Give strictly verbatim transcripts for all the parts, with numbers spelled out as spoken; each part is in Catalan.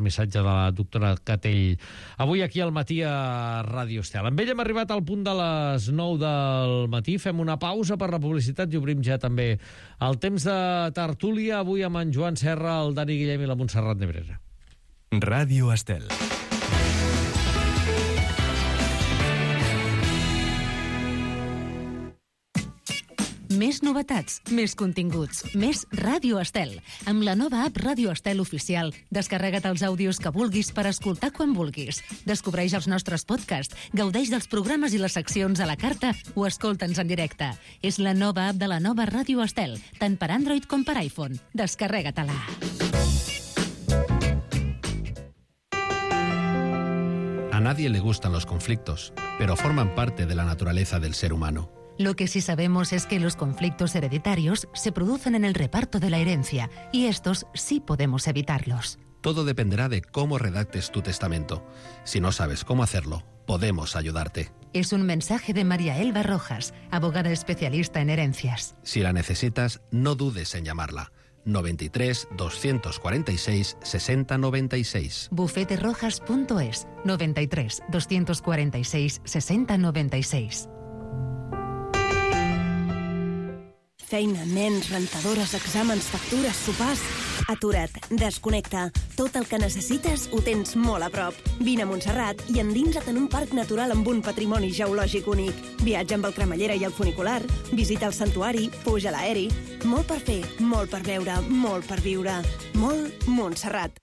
missatge de la doctora Catell. Avui aquí al matí a Ràdio Estel. Amb ell hem arribat al punt de les nou del matí. Fem una pausa per la publicitat i obrim ja també el temps de tertúlia. Avui amb en Joan Serra, el Dani Guillem i la Montserrat Nebrera. Ràdio Estel. Més novetats, més continguts, més Ràdio Estel. Amb la nova app Ràdio Estel Oficial, descarrega't els àudios que vulguis per escoltar quan vulguis. Descobreix els nostres podcasts, gaudeix dels programes i les seccions a la carta o escolta'ns en directe. És la nova app de la nova Ràdio Estel, tant per Android com per iPhone. Descarrega-te-la. A nadie le gustan los conflictos, pero forman parte de la naturaleza del ser humano. Lo que sí sabemos es que los conflictos hereditarios se producen en el reparto de la herencia, y estos sí podemos evitarlos. Todo dependerá de cómo redactes tu testamento. Si no sabes cómo hacerlo, podemos ayudarte. Es un mensaje de María Elba Rojas, abogada especialista en herencias. Si la necesitas, no dudes en llamarla. noventa y tres, doscientos cuarenta y seis, sesenta noventa y seis. bufete rojas punto es, noventa y tres, doscientos cuarenta y seis, sesenta noventa y seis. Feina, nens, rentadores, exàmens, factures, sopars... Atura't, desconnecta. Tot el que necessites ho tens molt a prop. Vine a Montserrat i endinsa't en un parc natural amb un patrimoni geològic únic. Viatja amb el cremallera i el funicular, visita el santuari, puja a l'aeri... Molt per fer, molt per veure, molt per viure. Molt Montserrat.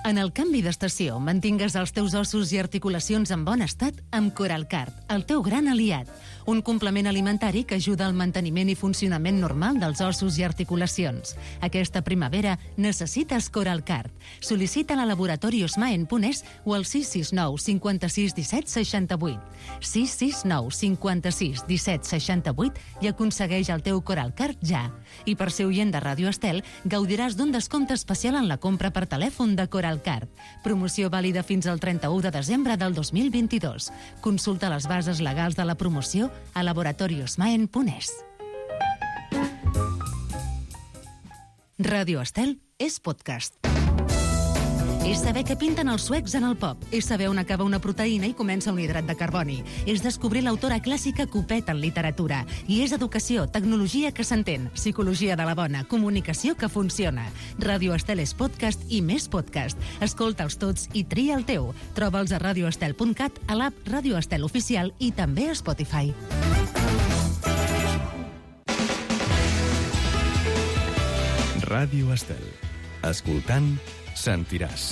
En el canvi d'estació, mantingues els teus ossos i articulacions en bon estat amb Coralcard, el teu gran aliat. Un complement alimentari que ajuda al manteniment i funcionament normal dels ossos i articulacions. Aquesta primavera necessites Coralcard. Sol·licita-la a Laboratori Osmaen punt es o al sis sis nou, cinquanta-sis, disset, seixanta-vuit. sis sis nou, cinquanta-sis, disset, seixanta-vuit i aconsegueix el teu Coralcard ja. I per ser oient de Ràdio Estel, gaudiràs d'un descompte especial en la compra per telèfon de Coralcard. Promoció vàlida fins al trenta-u de desembre del dos mil vint-i-dos. Consulta les bases legals de la promoció a Laboratori Osmaen punt es. Ràdio Estel és podcast. És saber què pinten els suecs en el pop. És saber on acaba una proteïna i comença un hidrat de carboni. És descobrir l'autora clàssica Copet en literatura. I és educació, tecnologia que s'entén, psicologia de la bona, comunicació que funciona. Ràdio Estel és podcast i més podcast. Escolta'ls tots i tria el teu. Troba'ls a radioestel punt cat, a l'app Ràdio Estel Oficial i també a Spotify. Ràdio Estel. Escoltant, sentiràs.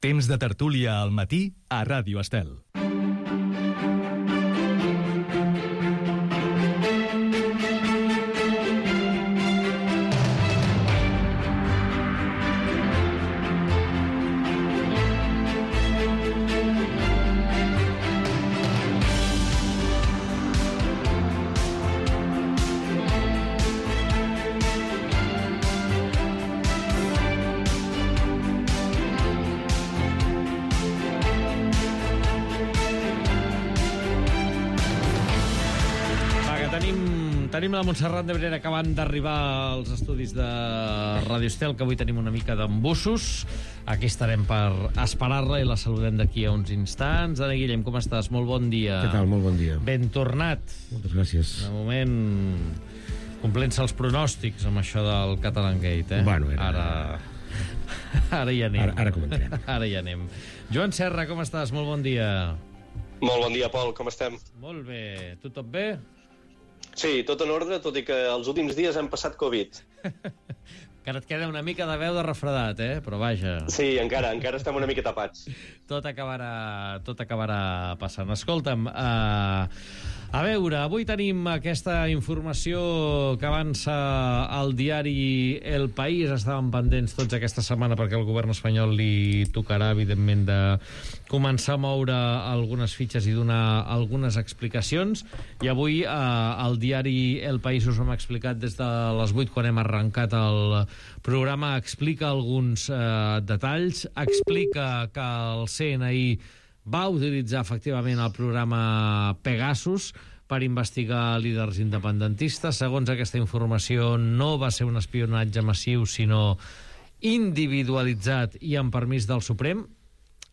Temps de tertúlia al matí a Ràdio Estel. Tenim la Montserrat Nebrera acabant d'arribar als estudis de Ràdio Estel, que avui tenim una mica d'embussos. Aquí estarem per esperar-la i la saludem d'aquí a uns instants. Dani Guillem, com estàs? Molt bon dia. Què tal? Molt bon dia. Ben tornat. Moltes gràcies. De moment, complint-se els pronòstics amb això del Catalan Gate, eh? Bueno, era... Ara... Ara hi anem. Ara, ara comentarem. Ara hi anem. Joan Serra, com estàs? Molt bon dia. Molt bon dia, Pol. Com estem? Molt bé. Tu tot bé? Sí, tot en ordre, tot i que els últims dies hem passat Covid. Encara et queda una mica de veu de refredat, eh? Però vaja... Sí, encara, encara estem una mica tapats. Tot acabarà, tot acabarà passant. Escolta'm, uh, a veure, avui tenim aquesta informació que avança al diari El País. Estàvem pendents tots aquesta setmana perquè el govern espanyol li tocarà, evidentment, de començar a moure algunes fitxes i donar algunes explicacions. I avui uh, al diari El País us hem explicat des de les vuit, quan hem arrencat el programa, explica alguns eh, detalls, explica que el C N I va utilitzar efectivament el programa Pegasus per investigar líders independentistes. Segons aquesta informació, no va ser un espionatge massiu, sinó individualitzat i amb permís del Suprem.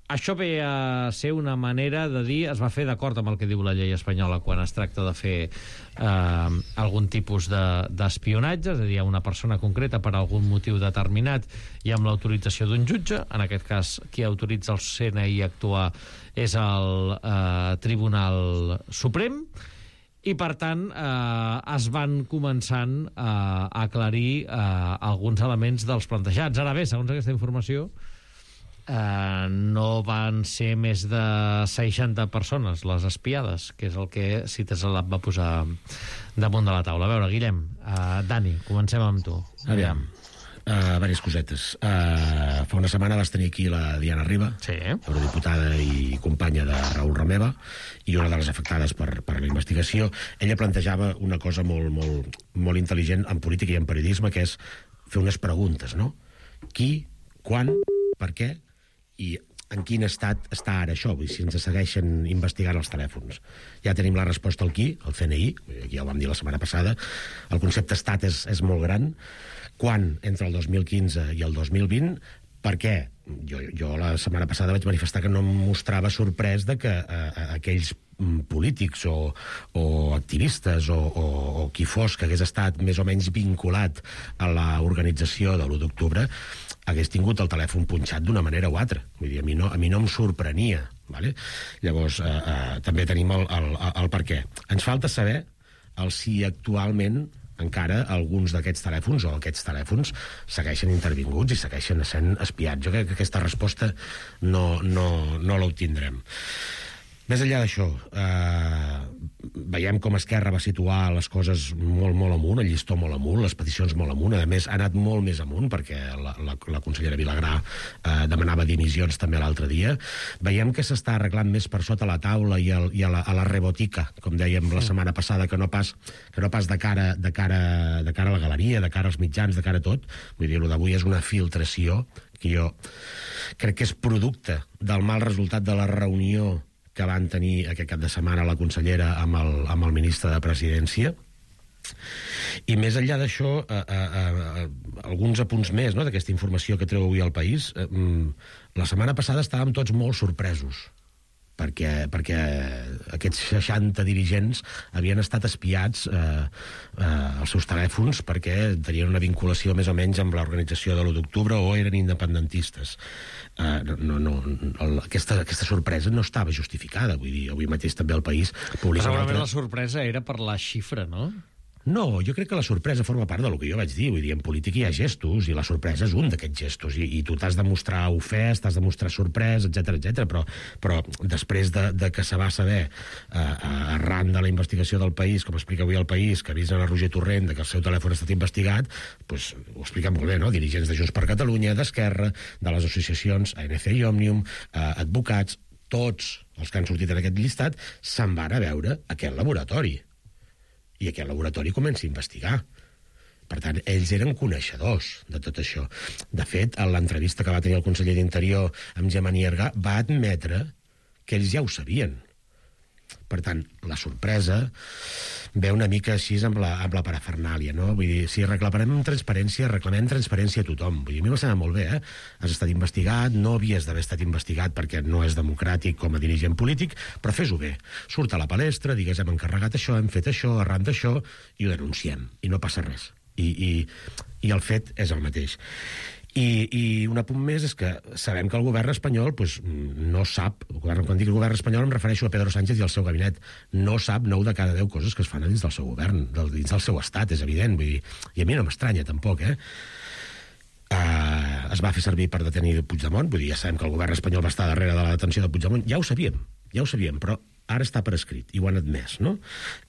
Això ve a ser una manera de dir, es va fer d'acord amb el que diu la llei espanyola quan es tracta de fer eh, algun tipus d'espionatge, és a dir, a una persona concreta per algun motiu determinat i amb l'autorització d'un jutge. En aquest cas, qui autoritza el C N I a actuar és el eh, Tribunal Suprem, i per tant eh, es van començant eh, a aclarir eh, alguns elements dels plantejats. Ara bé, segons aquesta informació, Uh, no van ser més de seixanta persones les espiades, que és el que Cites Lab va posar damunt de la taula. A veure, Guillem, uh, Dani, comencem amb tu. Aviam, uh, diverses cosetes. Uh, fa una setmana vas tenir aquí la Diana Riba, sí, eurodiputada i companya de Raül Romeva, i una de les afectades per, per la investigació. Ella plantejava una cosa molt, molt, molt intel·ligent en política i en periodisme, que és fer unes preguntes, no? Qui, quan, per què, i en quin estat està ara això, vull dir, si ens segueixen investigant els telèfons. Ja tenim la resposta al qui, el C N I, aquí ja ho vam dir la setmana passada, el concepte estat és, és molt gran. Quan, entre el dos mil quinze i el dos mil vint, per què? Jo, jo la setmana passada vaig manifestar que no em mostrava sorprès de que eh, aquells polítics o, o activistes o, o, o qui fos que hagués estat més o menys vinculat a l'organització de l'u d'octubre hagués tingut el telèfon punxat d'una manera o altra. Vull dir, a mi no, a mi no em sorprenia. Vale? Llavors, eh, eh, també tenim el, el, el per què. Ens falta saber el si actualment encara alguns d'aquests telèfons o aquests telèfons segueixen intervinguts i segueixen sent espiats. Jo crec que aquesta resposta no, no, no l'obtindrem. Més enllà d'això, eh, veiem com Esquerra va situar les coses molt, molt amunt, el llistó molt amunt, les peticions molt amunt. A més, ha anat molt més amunt, perquè la, la, la consellera Vilagrà eh, demanava dimissions també l'altre dia. Veiem que s'està arreglant més per sota la taula i, el, i a, la, a la rebotica, com dèiem la setmana passada, que no pas, que no pas de, cara, de, cara, de cara a la galeria, de cara als mitjans, de cara a tot. Vull dir, el d'avui és una filtració que jo crec que és producte del mal resultat de la reunió que van tenir aquest cap de setmana la consellera amb el, amb el ministre de Presidència. I més enllà d'això, eh, eh, eh, alguns apunts més, no?, d'aquesta informació que treu avui al País. Eh, la setmana passada estàvem tots molt sorpresos, perquè, perquè aquests seixanta dirigents havien estat espiats eh, eh, als seus telèfons perquè tenien una vinculació més o menys amb l'organització de l'u d'octubre o eren independentistes. Uh, no, no, el, aquesta, aquesta sorpresa no estava justificada. Vull dir, avui mateix també el País publica... Segurament altra... la sorpresa era per la xifra, no? No, jo crec que la sorpresa forma part del que jo vaig dir. Vull dir, en política hi ha gestos, i la sorpresa és un d'aquests gestos, i, i tu t'has de mostrar ofès, t'has de mostrar sorprès, etcètera, etcètera. Però, però després de, de que se va saber, uh, arran de la investigació del País, com explica avui el País, que avisen a Roger Torrent de que el seu telèfon ha estat investigat, pues, ho explica molt bé, no? Dirigents de Junts per Catalunya, d'Esquerra, de les associacions A N C i Òmnium, uh, advocats, tots els que han sortit en aquest llistat, se'n van a veure aquest laboratori. I aquest laboratori comença a investigar. Per tant, ells eren coneixedors de tot això. De fet, en l'entrevista que va tenir el conseller d'Interior amb Gemma Nierga, va admetre que ells ja ho sabien. Per tant, la sorpresa ve una mica així amb la, amb la parafernàlia, no? Vull dir, si reclamem transparència, reclamem transparència a tothom. Vull dir, a mi m'ha semblat molt bé, eh? Has estat investigat, no havies d'haver estat investigat perquè no és democràtic com a dirigent polític, però fes-ho bé. Surt a la palestra, digues, hem encarregat això, hem fet això, arran d'això, i ho denunciem, i no passa res. I, i, i el fet és el mateix. I, i un apunt més és que sabem que el govern espanyol pues, no sap, el govern, quan dic el govern espanyol em refereixo a Pedro Sánchez i al seu gabinet, no sap nou de cada deu coses que es fan dins del seu govern, del, dins del seu estat, és evident, vull dir, i a mi no m'estranya tampoc, eh? Uh, es va fer servir per detenir Puigdemont, vull dir, ja sabem que el govern espanyol va estar darrere de la detenció de Puigdemont, ja ho sabíem, ja ho sabíem, però ara està per escrit, i ho han admès, no?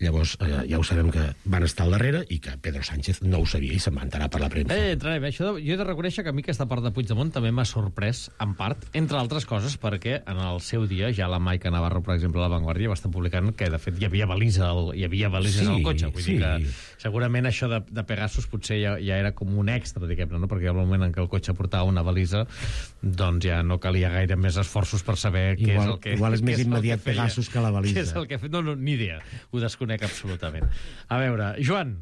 Llavors, eh, ja ho sabem que van estar al darrere i que Pedro Sánchez no ho sabia i se'n va enterar per la premsa. Eh, entrarem. Això de, jo he de reconèixer que a mi aquesta part de Puigdemont també m'ha sorprès, en part, entre altres coses, perquè en el seu dia ja la Maica Navarro, per exemple, a La Vanguardia, va estar publicant que, de fet, hi havia balisa al, hi havia balises sí, al cotxe. Vull sí. dir que segurament això de, de Pegasus potser ja, ja era com un extra, diguem-ne, no? Perquè al moment en què el cotxe portava una balisa, doncs ja no calia gaire més esforços per saber igual, què és el que... Igual és més immediat Pegasus que la la balisa. Què és el que ha fet? No, no, ni idea. Ho desconec absolutament. A veure, Joan.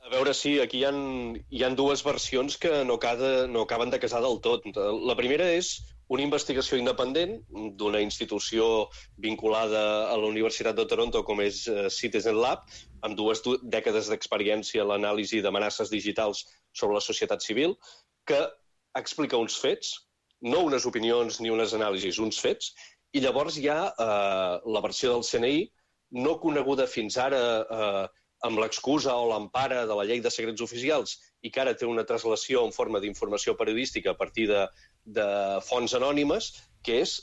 A veure, sí, aquí hi ha, hi ha dues versions que no, cada, no acaben de casar del tot. La primera és una investigació independent d'una institució vinculada a la Universitat de Toronto com és Citizen Lab, amb dues dècades d'experiència en l'anàlisi d'amenaces digitals sobre la societat civil, que explica uns fets, no unes opinions ni unes anàlisis, uns fets, i llavors hi ha eh, la versió del C N I, no coneguda fins ara eh, amb l'excusa o l'empara de la llei de secrets oficials i que ara té una translació en forma d'informació periodística a partir de, de fonts anònimes, que és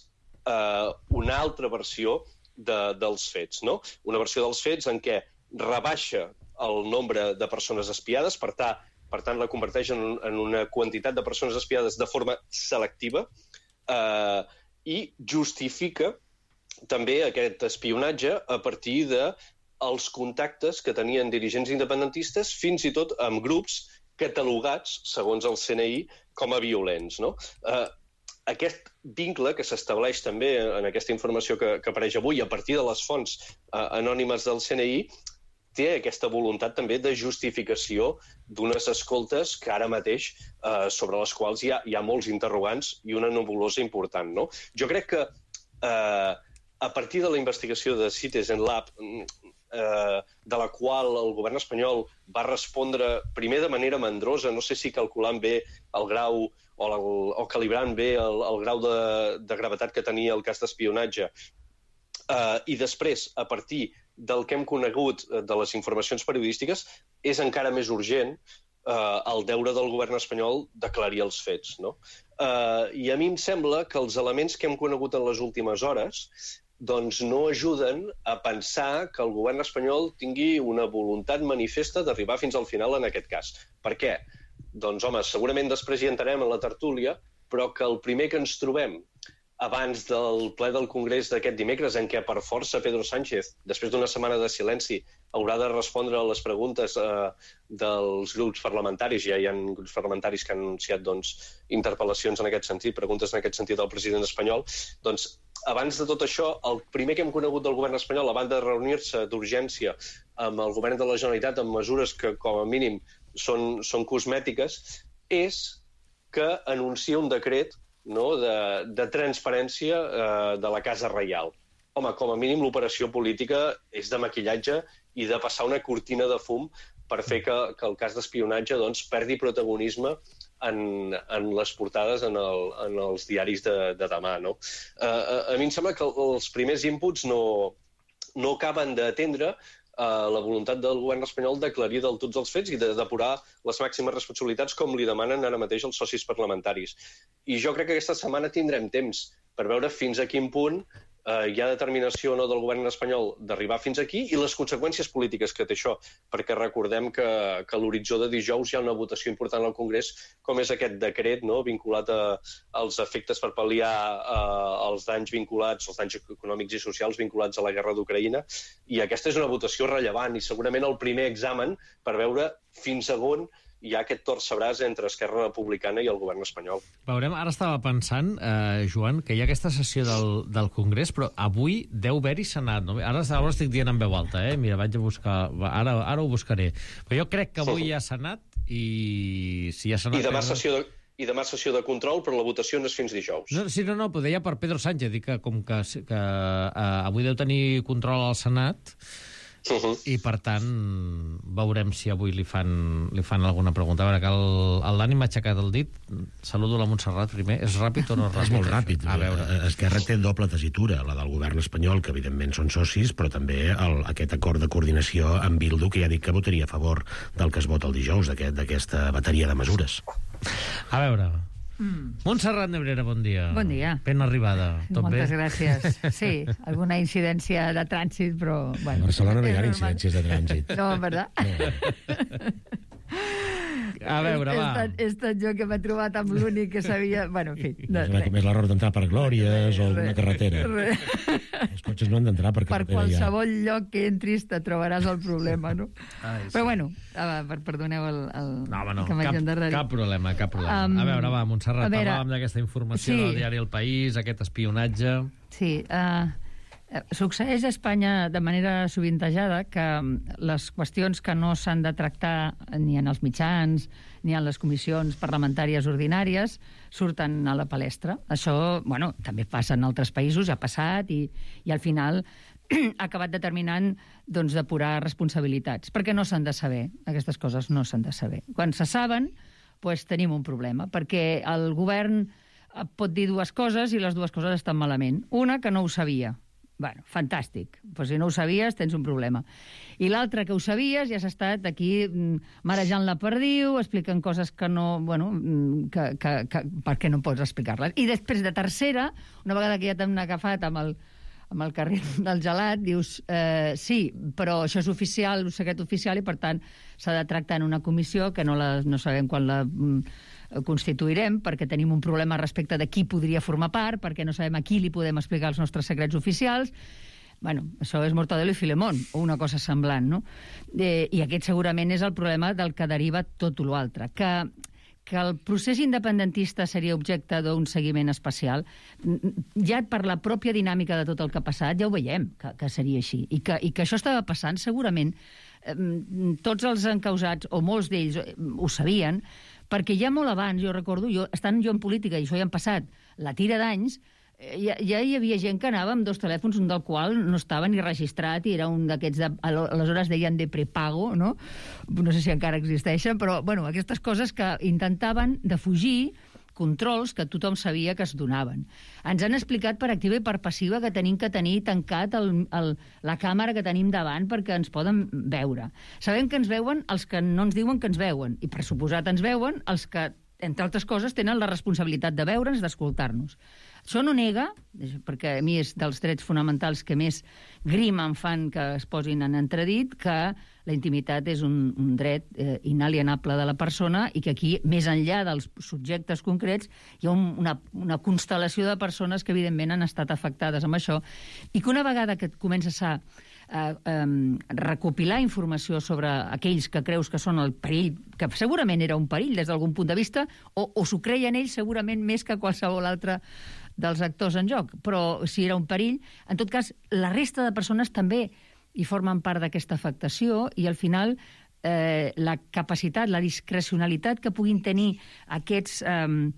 eh, una altra versió de, dels fets, no? Una versió dels fets en què rebaixa el nombre de persones espiades, per tant, Per tant, la converteix en, en una quantitat de persones espiades de forma selectiva eh, i justifica també aquest espionatge a partir dels contactes que tenien dirigents independentistes, fins i tot amb grups catalogats, segons el C N I, com a violents, no? Eh, aquest vincle que s'estableix també en aquesta informació que, que apareix avui a partir de les fonts eh, anònimes del C N I té aquesta voluntat també de justificació d'unes escoltes que ara mateix eh, sobre les quals hi ha, hi ha molts interrogants i una nebulosa important, no? Jo crec que eh, a partir de la investigació de Citizen Lab, eh, de la qual el govern espanyol va respondre primer de manera mandrosa, no sé si calculant bé el grau o, el, o calibrant bé el, el grau de, de gravetat que tenia el cas d'espionatge, eh, i després, a partir del que hem conegut de les informacions periodístiques, és encara més urgent eh, el deure del govern espanyol d'aclarir els fets, no? Eh, I a mi em sembla que els elements que hem conegut en les últimes hores doncs no ajuden a pensar que el govern espanyol tingui una voluntat manifesta d'arribar fins al final en aquest cas. Per què? Doncs, home, segurament després hi entrarem en la tertúlia, però que el primer que ens trobem abans del ple del Congrés d'aquest dimecres, en què per força Pedro Sánchez, després d'una setmana de silenci, haurà de respondre a les preguntes eh, dels grups parlamentaris. Ja hi ha grups parlamentaris que han anunciat doncs, interpel·lacions en aquest sentit, preguntes en aquest sentit al president espanyol. Doncs, abans de tot això, el primer que hem conegut del govern espanyol, a banda de reunir-se d'urgència amb el govern de la Generalitat amb mesures que, com a mínim, són, són cosmètiques, és que anuncia un decret, no, de, de transparència eh, de la Casa Reial. Home, com a mínim l'operació política és de maquillatge i de passar una cortina de fum per fer que, que el cas d'espionatge doncs, perdi protagonisme en, en les portades en, el, en els diaris de, de demà. No? Eh, a, a mi em sembla que els primers inputs no, no acaben d'atendre la voluntat del govern espanyol d'aclarir del tots els fets i de depurar les màximes responsabilitats com li demanen ara mateix els socis parlamentaris. I jo crec que aquesta setmana tindrem temps per veure fins a quin punt eh, hi ha determinació o no del govern espanyol d'arribar fins aquí i les conseqüències polítiques que té això, perquè recordem que, que a l'horitzó de dijous hi ha una votació important al Congrés, com és aquest decret, no?, vinculat a, als efectes per pal·liar eh, els danys vinculats, els danys econòmics i socials vinculats a la guerra d'Ucraïna, i aquesta és una votació rellevant i segurament el primer examen per veure fins a on hi ha aquest torcebràs entre Esquerra Republicana i el govern espanyol. Veurem, ara estava pensant, eh, Joan, que hi ha aquesta sessió del, del Congrés, però avui deu haver-hi Senat. No? Ara, ara ho estic dient en veu alta, eh? Mira, vaig a buscar... Ara, ara ho buscaré. Però jo crec que avui hi ha Senat i... Si hi ha Senat... I demà sessió de... I demà sessió de control, però la votació no és fins dijous. No, sí, no, no, però deia per Pedro Sánchez, dic que com que, que eh, avui deu tenir control al Senat, uh-huh. i per tant veurem si avui li fan, li fan alguna pregunta. A veure, que el, el Dani m'ha aixecat el dit. Saludo la Montserrat primer. És ràpid o no és ràpid? És molt ràpid. A veure. Esquerra té doble tessitura, la del govern espanyol, que evidentment són socis, però també el, aquest acord de coordinació amb Bildu, que ja dic que votaria a favor del que es vota el dijous, d'aquesta aquest, bateria de mesures. A veure... Mm. Montserrat Nebrera, bon dia. Bon dia. Ben arribada. Tot Moltes bé? gràcies. Sí, alguna incidència de trànsit, però... Bueno, a Barcelona no hi ha incidències de trànsit. No, en veritat. No. A veure, va. He estat, he estat jo que m'he trobat amb l'únic que sabia... Bueno, en fi. No, és, com és l'error d'entrar per Glòries o alguna carretera. Re. Els cotxes no han d'entrar per carretera. Per qualsevol ja. lloc que entris te trobaràs el problema, no? Ai, sí. Però bueno, per, perdoneu el, el no, home, no. que m'haig endarrerit. Cap problema, cap problema. Um, a veure, va, Montserrat, veure, parlàvem d'aquesta informació sí. del diari El País, aquest espionatge... Sí, uh, Succeeix a Espanya de manera sovintejada que les qüestions que no s'han de tractar ni en els mitjans ni en les comissions parlamentàries ordinàries surten a la palestra. Això, bueno, també passa en altres països, ha passat, i, i al final ha acabat determinant doncs, depurar responsabilitats, perquè no s'han de saber, aquestes coses no s'han de saber. Quan se saben, doncs, tenim un problema, perquè el govern pot dir dues coses i les dues coses estan malament. Una, que no ho sabia. Bueno, fantàstic. Pues si no ho sabies, tens un problema. I l'altre, que ho sabies, ja has estat aquí marejant la perdiu, explicant coses que no... Bueno, que, que, que, perquè no pots explicar-les. I després, de tercera, una vegada que ja t'han agafat amb el, amb el carril del gelat, dius, eh, sí, però això és oficial, un secret oficial, i per tant s'ha de tractar en una comissió que no, la, no sabem quan la... constituirem, perquè tenim un problema respecte de qui podria formar part, perquè no sabem a qui li podem explicar els nostres secrets oficials. Bueno, això és Mortadelo i Filemón, o una cosa semblant, no? Eh, I aquest segurament és el problema del que deriva tot l'altre, que, que el procés independentista seria objecte d'un seguiment especial. Ja per la pròpia dinàmica de tot el que ha passat, ja ho veiem, que, que seria així. I que, i que això estava passant, segurament, eh, tots els encausats, o molts d'ells, ho sabien, perquè ja molt abans, jo recordo, jo, estant jo en política, i això ja han passat la tira d'anys, ja, ja hi havia gent que anava amb dos telèfons, un del qual no estava ni registrat, i era un d'aquests, de, aleshores deien de prepago, no? No sé si encara existeixen, però, bueno, aquestes coses que intentaven defugir controls que tothom sabia que es donaven. Ens han explicat per activa i per passiva que tenim que tenir tancat el, el, la càmera que tenim davant perquè ens poden veure. Sabem que ens veuen els que no ens diuen que ens veuen, i per suposat ens veuen els que, entre altres coses, tenen la responsabilitat de veure'ns, d'escoltar-nos. Això no nega, perquè a mi és dels drets fonamentals que més grima em fan que es posin en entredit, que la intimitat és un, un dret eh, inalienable de la persona, i que aquí, més enllà dels subjectes concrets, hi ha un, una, una constel·lació de persones que evidentment han estat afectades amb això, i que una vegada que comences a eh, eh, recopilar informació sobre aquells que creus que són el perill, que segurament era un perill des d'algun punt de vista, o, o s'ho creien ells segurament més que qualsevol altre dels actors en joc, però si era un perill, en tot cas, la resta de persones també hi formen part d'aquesta afectació, i al final eh, la capacitat, la discrecionalitat que puguin tenir aquests, eh,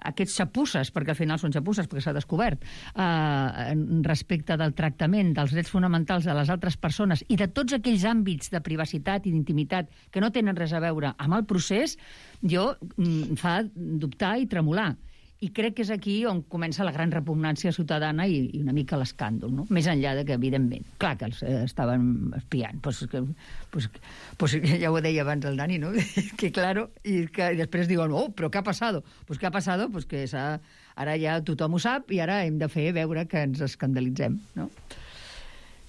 aquests xapusses, perquè al final són xapusses perquè s'ha descobert, eh, respecte del tractament dels drets fonamentals de les altres persones i de tots aquells àmbits de privacitat i d'intimitat que no tenen res a veure amb el procés, jo em fa dubtar i tremolar. I crec que és aquí on comença la gran repugnància ciutadana i, i una mica l'escàndol, no? Més enllà de que, evidentment, clar que els eh, estaven espiant. Pues, que, pues, pues, ja ho deia abans el Dani, no? Que claro, i, que, i després diuen, oh, però què ha passat? Pues què ha passat? Pues que ara ja tothom ho sap i ara hem de fer veure que ens escandalitzem, no?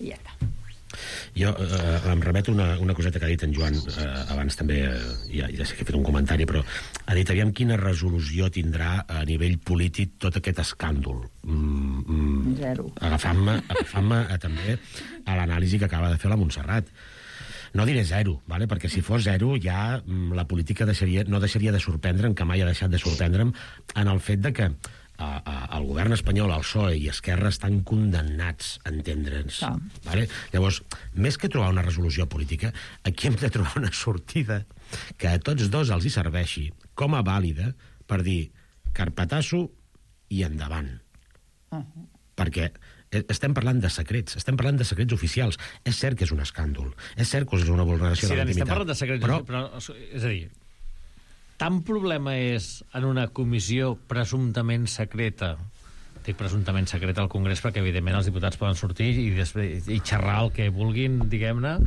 I ja està. Jo eh, em remeto una, una coseta que ha dit en Joan eh, abans també, eh, ja, ja sé que he fet un comentari, però ha dit, aviam quina resolució tindrà a nivell polític tot aquest escàndol. Mm, mm, Zero. Agafant-me agafant també a l'anàlisi que acaba de fer la Montserrat. No diré zero, vale? Perquè si fos zero ja la política deixaria, no deixaria de sorprendre'm, que mai ha deixat de sorprendre'm, en el fet de que a, a, el govern espanyol, el P S O E i Esquerra estan condemnats a entendre'ns. Ah. Vale? Llavors, més que trobar una resolució política, aquí hem de trobar una sortida que a tots dos els hi serveixi com a vàlida per dir carpetasso i endavant. Uh -huh. Perquè estem parlant de secrets, estem parlant de secrets oficials. És cert que és un escàndol, és cert que és una vulneració sí, de la intimitat. Sí, estem parlant de secrets, però... però... És a dir, tant problema és en una comissió presumptament secreta, dic presumptament secreta al Congrés perquè evidentment els diputats poden sortir i, després, i xerrar el que vulguin, diguem-ne,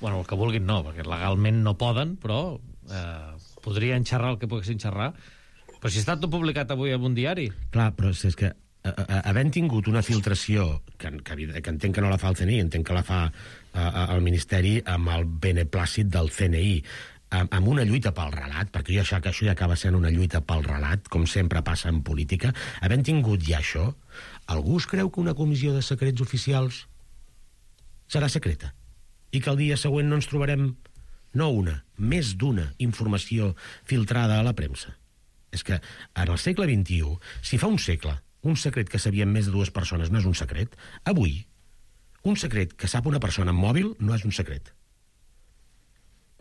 bueno, el que vulguin no, perquè legalment no poden, però eh, podrien xerrar el que poguessin xerrar. Però si està tot publicat avui en un diari. Clar, però és que havent tingut una filtració que, que, que entenc que no la fa el C N I, entenc que la fa eh, el Ministeri amb el beneplàcit del C N I, amb una lluita pel relat, perquè jo això, que això ja acaba sent una lluita pel relat, com sempre passa en política, havent tingut ja això, algú es creu que una comissió de secrets oficials serà secreta? I que el dia següent no ens trobarem no una, més d'una informació filtrada a la premsa? És que en el segle vint-i-u, si fa un segle un secret que sabien més de dues persones no és un secret, avui Un secret que sap una persona en mòbil no és un secret.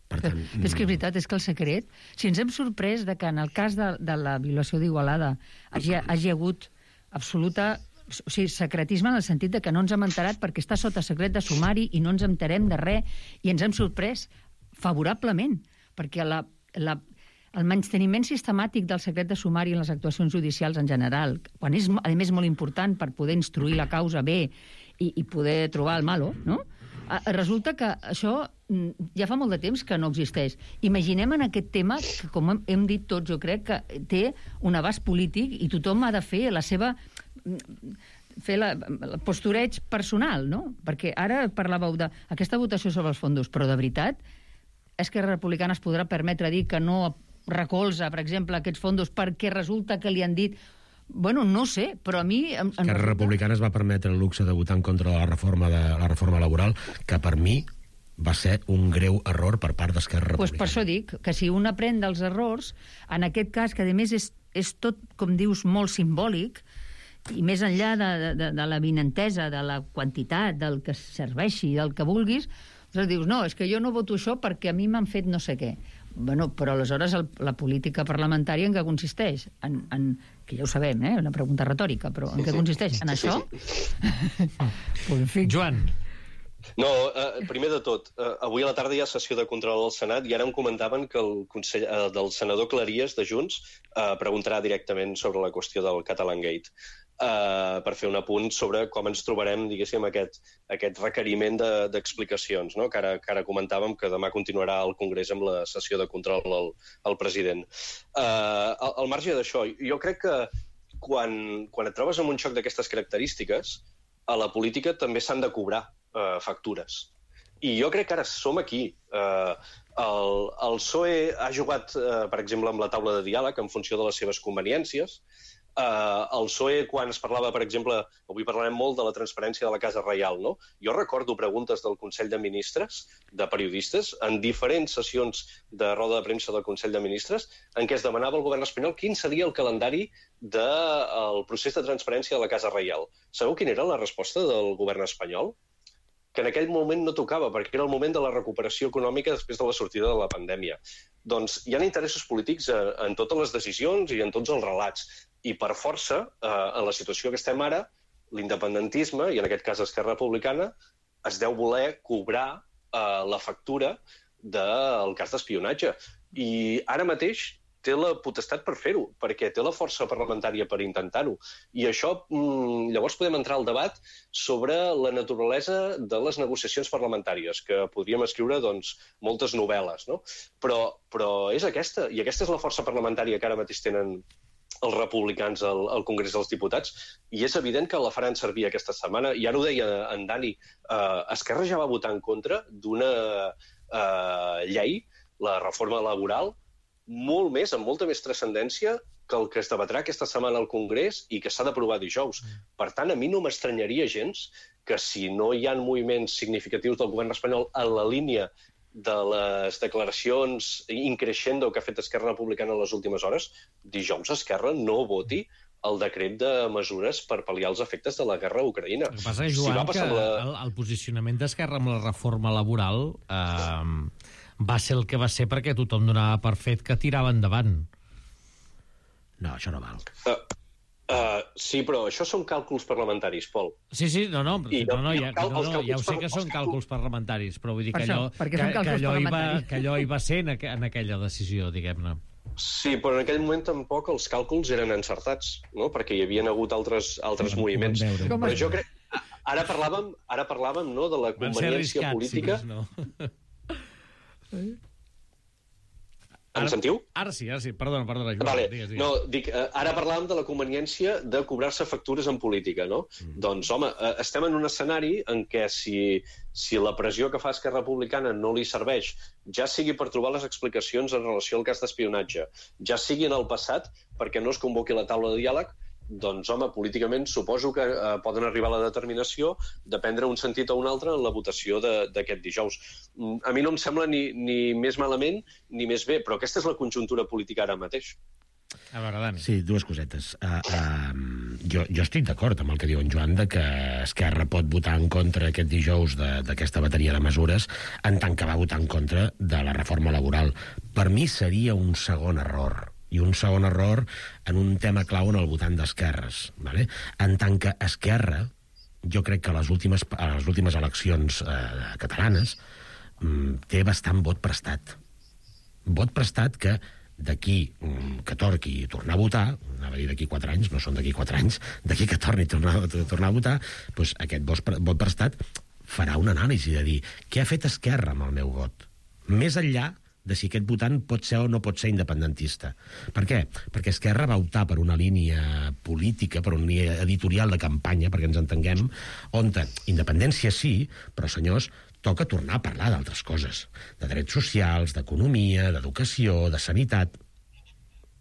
Per tant, és que és veritat, és que el secret... Si ens hem sorprès de que en el cas de, de la violació d'Igualada hagi, hagi hagut absoluta... O sigui, secretisme en el sentit de que no ens hem enterat perquè està sota secret de sumari i no ens enterem de res, i ens hem sorprès favorablement, perquè la, la, el menysteniment sistemàtic del secret de sumari en les actuacions judicials en general, quan és, a més, molt important per poder instruir la causa bé i, i poder trobar el malo, no? Resulta que això ja fa molt de temps que no existeix. Imaginem en aquest tema que, com hem dit tots, jo crec que té un abast polític i tothom ha de fer la seva... fer la, el postureig personal, no? Perquè ara parlàveu d'aquesta votació sobre els fondos, però de veritat, Esquerra Republicana es podrà permetre dir que no recolza, per exemple, aquests fondos perquè resulta que li han dit... Bueno, no sé, però a mi... Em, Esquerra resulta... Republicana es va permetre el luxe de votar en contra de la reforma, de, la reforma laboral, que per mi va ser un greu error per part d'Esquerra Republicana. Pues per això dic que si un aprèn dels errors, en aquest cas, que a més és, és tot, com dius, molt simbòlic, i més enllà de, de, de la vinentesa, de la quantitat, del que serveixi, del que vulguis, doncs dius, no, és que jo no voto això perquè a mi m'han fet no sé què. Bueno, però aleshores el, la política parlamentària en què consisteix? En, en, que ja ho sabem, eh? Una pregunta retòrica, però en què consisteix? En això? Pues, en fi. Joan. No, eh, primer de tot, eh, avui a la tarda hi ha sessió de control al Senat i ara em comentaven que el, consell, eh, del senador Claries de Junts eh, preguntarà directament sobre la qüestió del Catalangate. Uh, per fer un apunt sobre com ens trobarem, diguéssim, aquest, aquest requeriment d'explicacions, de, no? que, ara, que ara comentàvem que demà continuarà al Congrés amb la sessió de control al, al president. Uh, al, al marge d'això, jo crec que quan, quan et trobes amb un xoc d'aquestes característiques, a la política també s'han de cobrar uh, factures. I jo crec que ara som aquí. Uh, el, el P S O E ha jugat, uh, per exemple, amb la taula de diàleg en funció de les seves conveniències. Uh, el P S O E, quan es parlava, per exemple, avui parlarem molt de la transparència de la Casa Reial, no? Jo recordo preguntes del Consell de Ministres, de periodistes, en diferents sessions de roda de premsa del Consell de Ministres, en què es demanava al govern espanyol quin seria el calendari del procés de transparència de la Casa Reial. Sabeu quina era la resposta del govern espanyol? Que en aquell moment no tocava, perquè era el moment de la recuperació econòmica després de la sortida de la pandèmia. Doncs hi ha interessos polítics en totes les decisions i en tots els relats. I per força, eh, en la situació que estem ara, l'independentisme, i en aquest cas Esquerra Republicana, es deu voler cobrar eh, la factura del cas d'espionatge. I ara mateix té la potestat per fer-ho, perquè té la força parlamentària per intentar-ho. I això, mmm, llavors podem entrar al debat sobre la naturalesa de les negociacions parlamentàries, que podríem escriure doncs, moltes novel·les, no? Però, però és aquesta, i aquesta és la força parlamentària que ara mateix tenen els republicans al, al Congrés dels Diputats, i és evident que la faran servir aquesta setmana. I ara ho deia en Dani, eh, Esquerra ja va votar en contra d'una eh, llei, la reforma laboral, molt més, amb molta més transcendència que el que es debatrà aquesta setmana al Congrés i que s'ha d'aprovar dijous. Per tant, a mi no m'estranyaria gens que si no hi ha moviments significatius del govern espanyol en la línia de les declaracions increixendo que ha fet Esquerra Republicana en les últimes hores, dijous Esquerra no voti el decret de mesures per pal·liar els efectes de la guerra a Ucraïna. El que passa és, Joan, si que la... el, el posicionament d'Esquerra amb la reforma laboral eh, va ser el que va ser perquè tothom donava per fet que tirava endavant. No, això no val. Uh, uh, sí, però això són càlculs parlamentaris, Pol. Sí, sí, no, no, I, no, no, ja, cal, no, no ja ho sé per, que són càlculs parlamentaris, però vull dir per que allò, això, que, que, allò hi va, que allò hi va ser en, aqu en aquella decisió, diguem-ne. Sí, però en aquell moment tampoc els càlculs eren encertats, no? Perquè hi havia hagut altres, altres no, moviments. Com però jo crec... Ara parlàvem, ara parlàvem no, de la conveniència política... Sí, no? Em sentiu? Ara sí, ara sí. Perdona, perdona, Joan. Vale. Digues, digues. No, dic, eh, ara parlàvem de la conveniència de cobrar-se factures en política, no? Mm. Doncs, home, eh, estem en un escenari en què si, si la pressió que fa Esquerra Republicana no li serveix, ja sigui per trobar les explicacions en relació al cas d'espionatge, ja sigui en el passat perquè no es convoqui la taula de diàleg, doncs, home, políticament suposo que eh, poden arribar a la determinació de prendre un sentit o un altre en la votació d'aquest dijous. A mi no em sembla ni, ni més malament ni més bé, però aquesta és la conjuntura política ara mateix. A veure, Dani. Sí, dues cosetes. Uh, uh, jo, jo estic d'acord amb el que diu en Joan de que Esquerra pot votar en contra aquest dijous d'aquesta bateria de mesures en tant que va votar en contra de la reforma laboral. Per mi seria un segon error, i un segon error en un tema clau en el votant d'esquerres. Vale? En tant que Esquerra, jo crec que a les últimes, a les últimes eleccions eh, catalanes mm, té bastant vot prestat. Vot prestat que d'aquí que torni a tornar a votar, anava a dir d'aquí quatre anys, no són d'aquí quatre anys, d'aquí que torni a tornar, a tornar a votar, doncs aquest vot, vot prestat farà una anàlisi de dir què ha fet Esquerra amb el meu vot, més enllà de si aquest votant pot ser o no pot ser independentista. Per què? Perquè Esquerra va optar per una línia política, per una línia editorial de campanya, perquè ens entenguem, on independència sí, però senyors, toca tornar a parlar d'altres coses, de drets socials, d'economia, d'educació, de sanitat.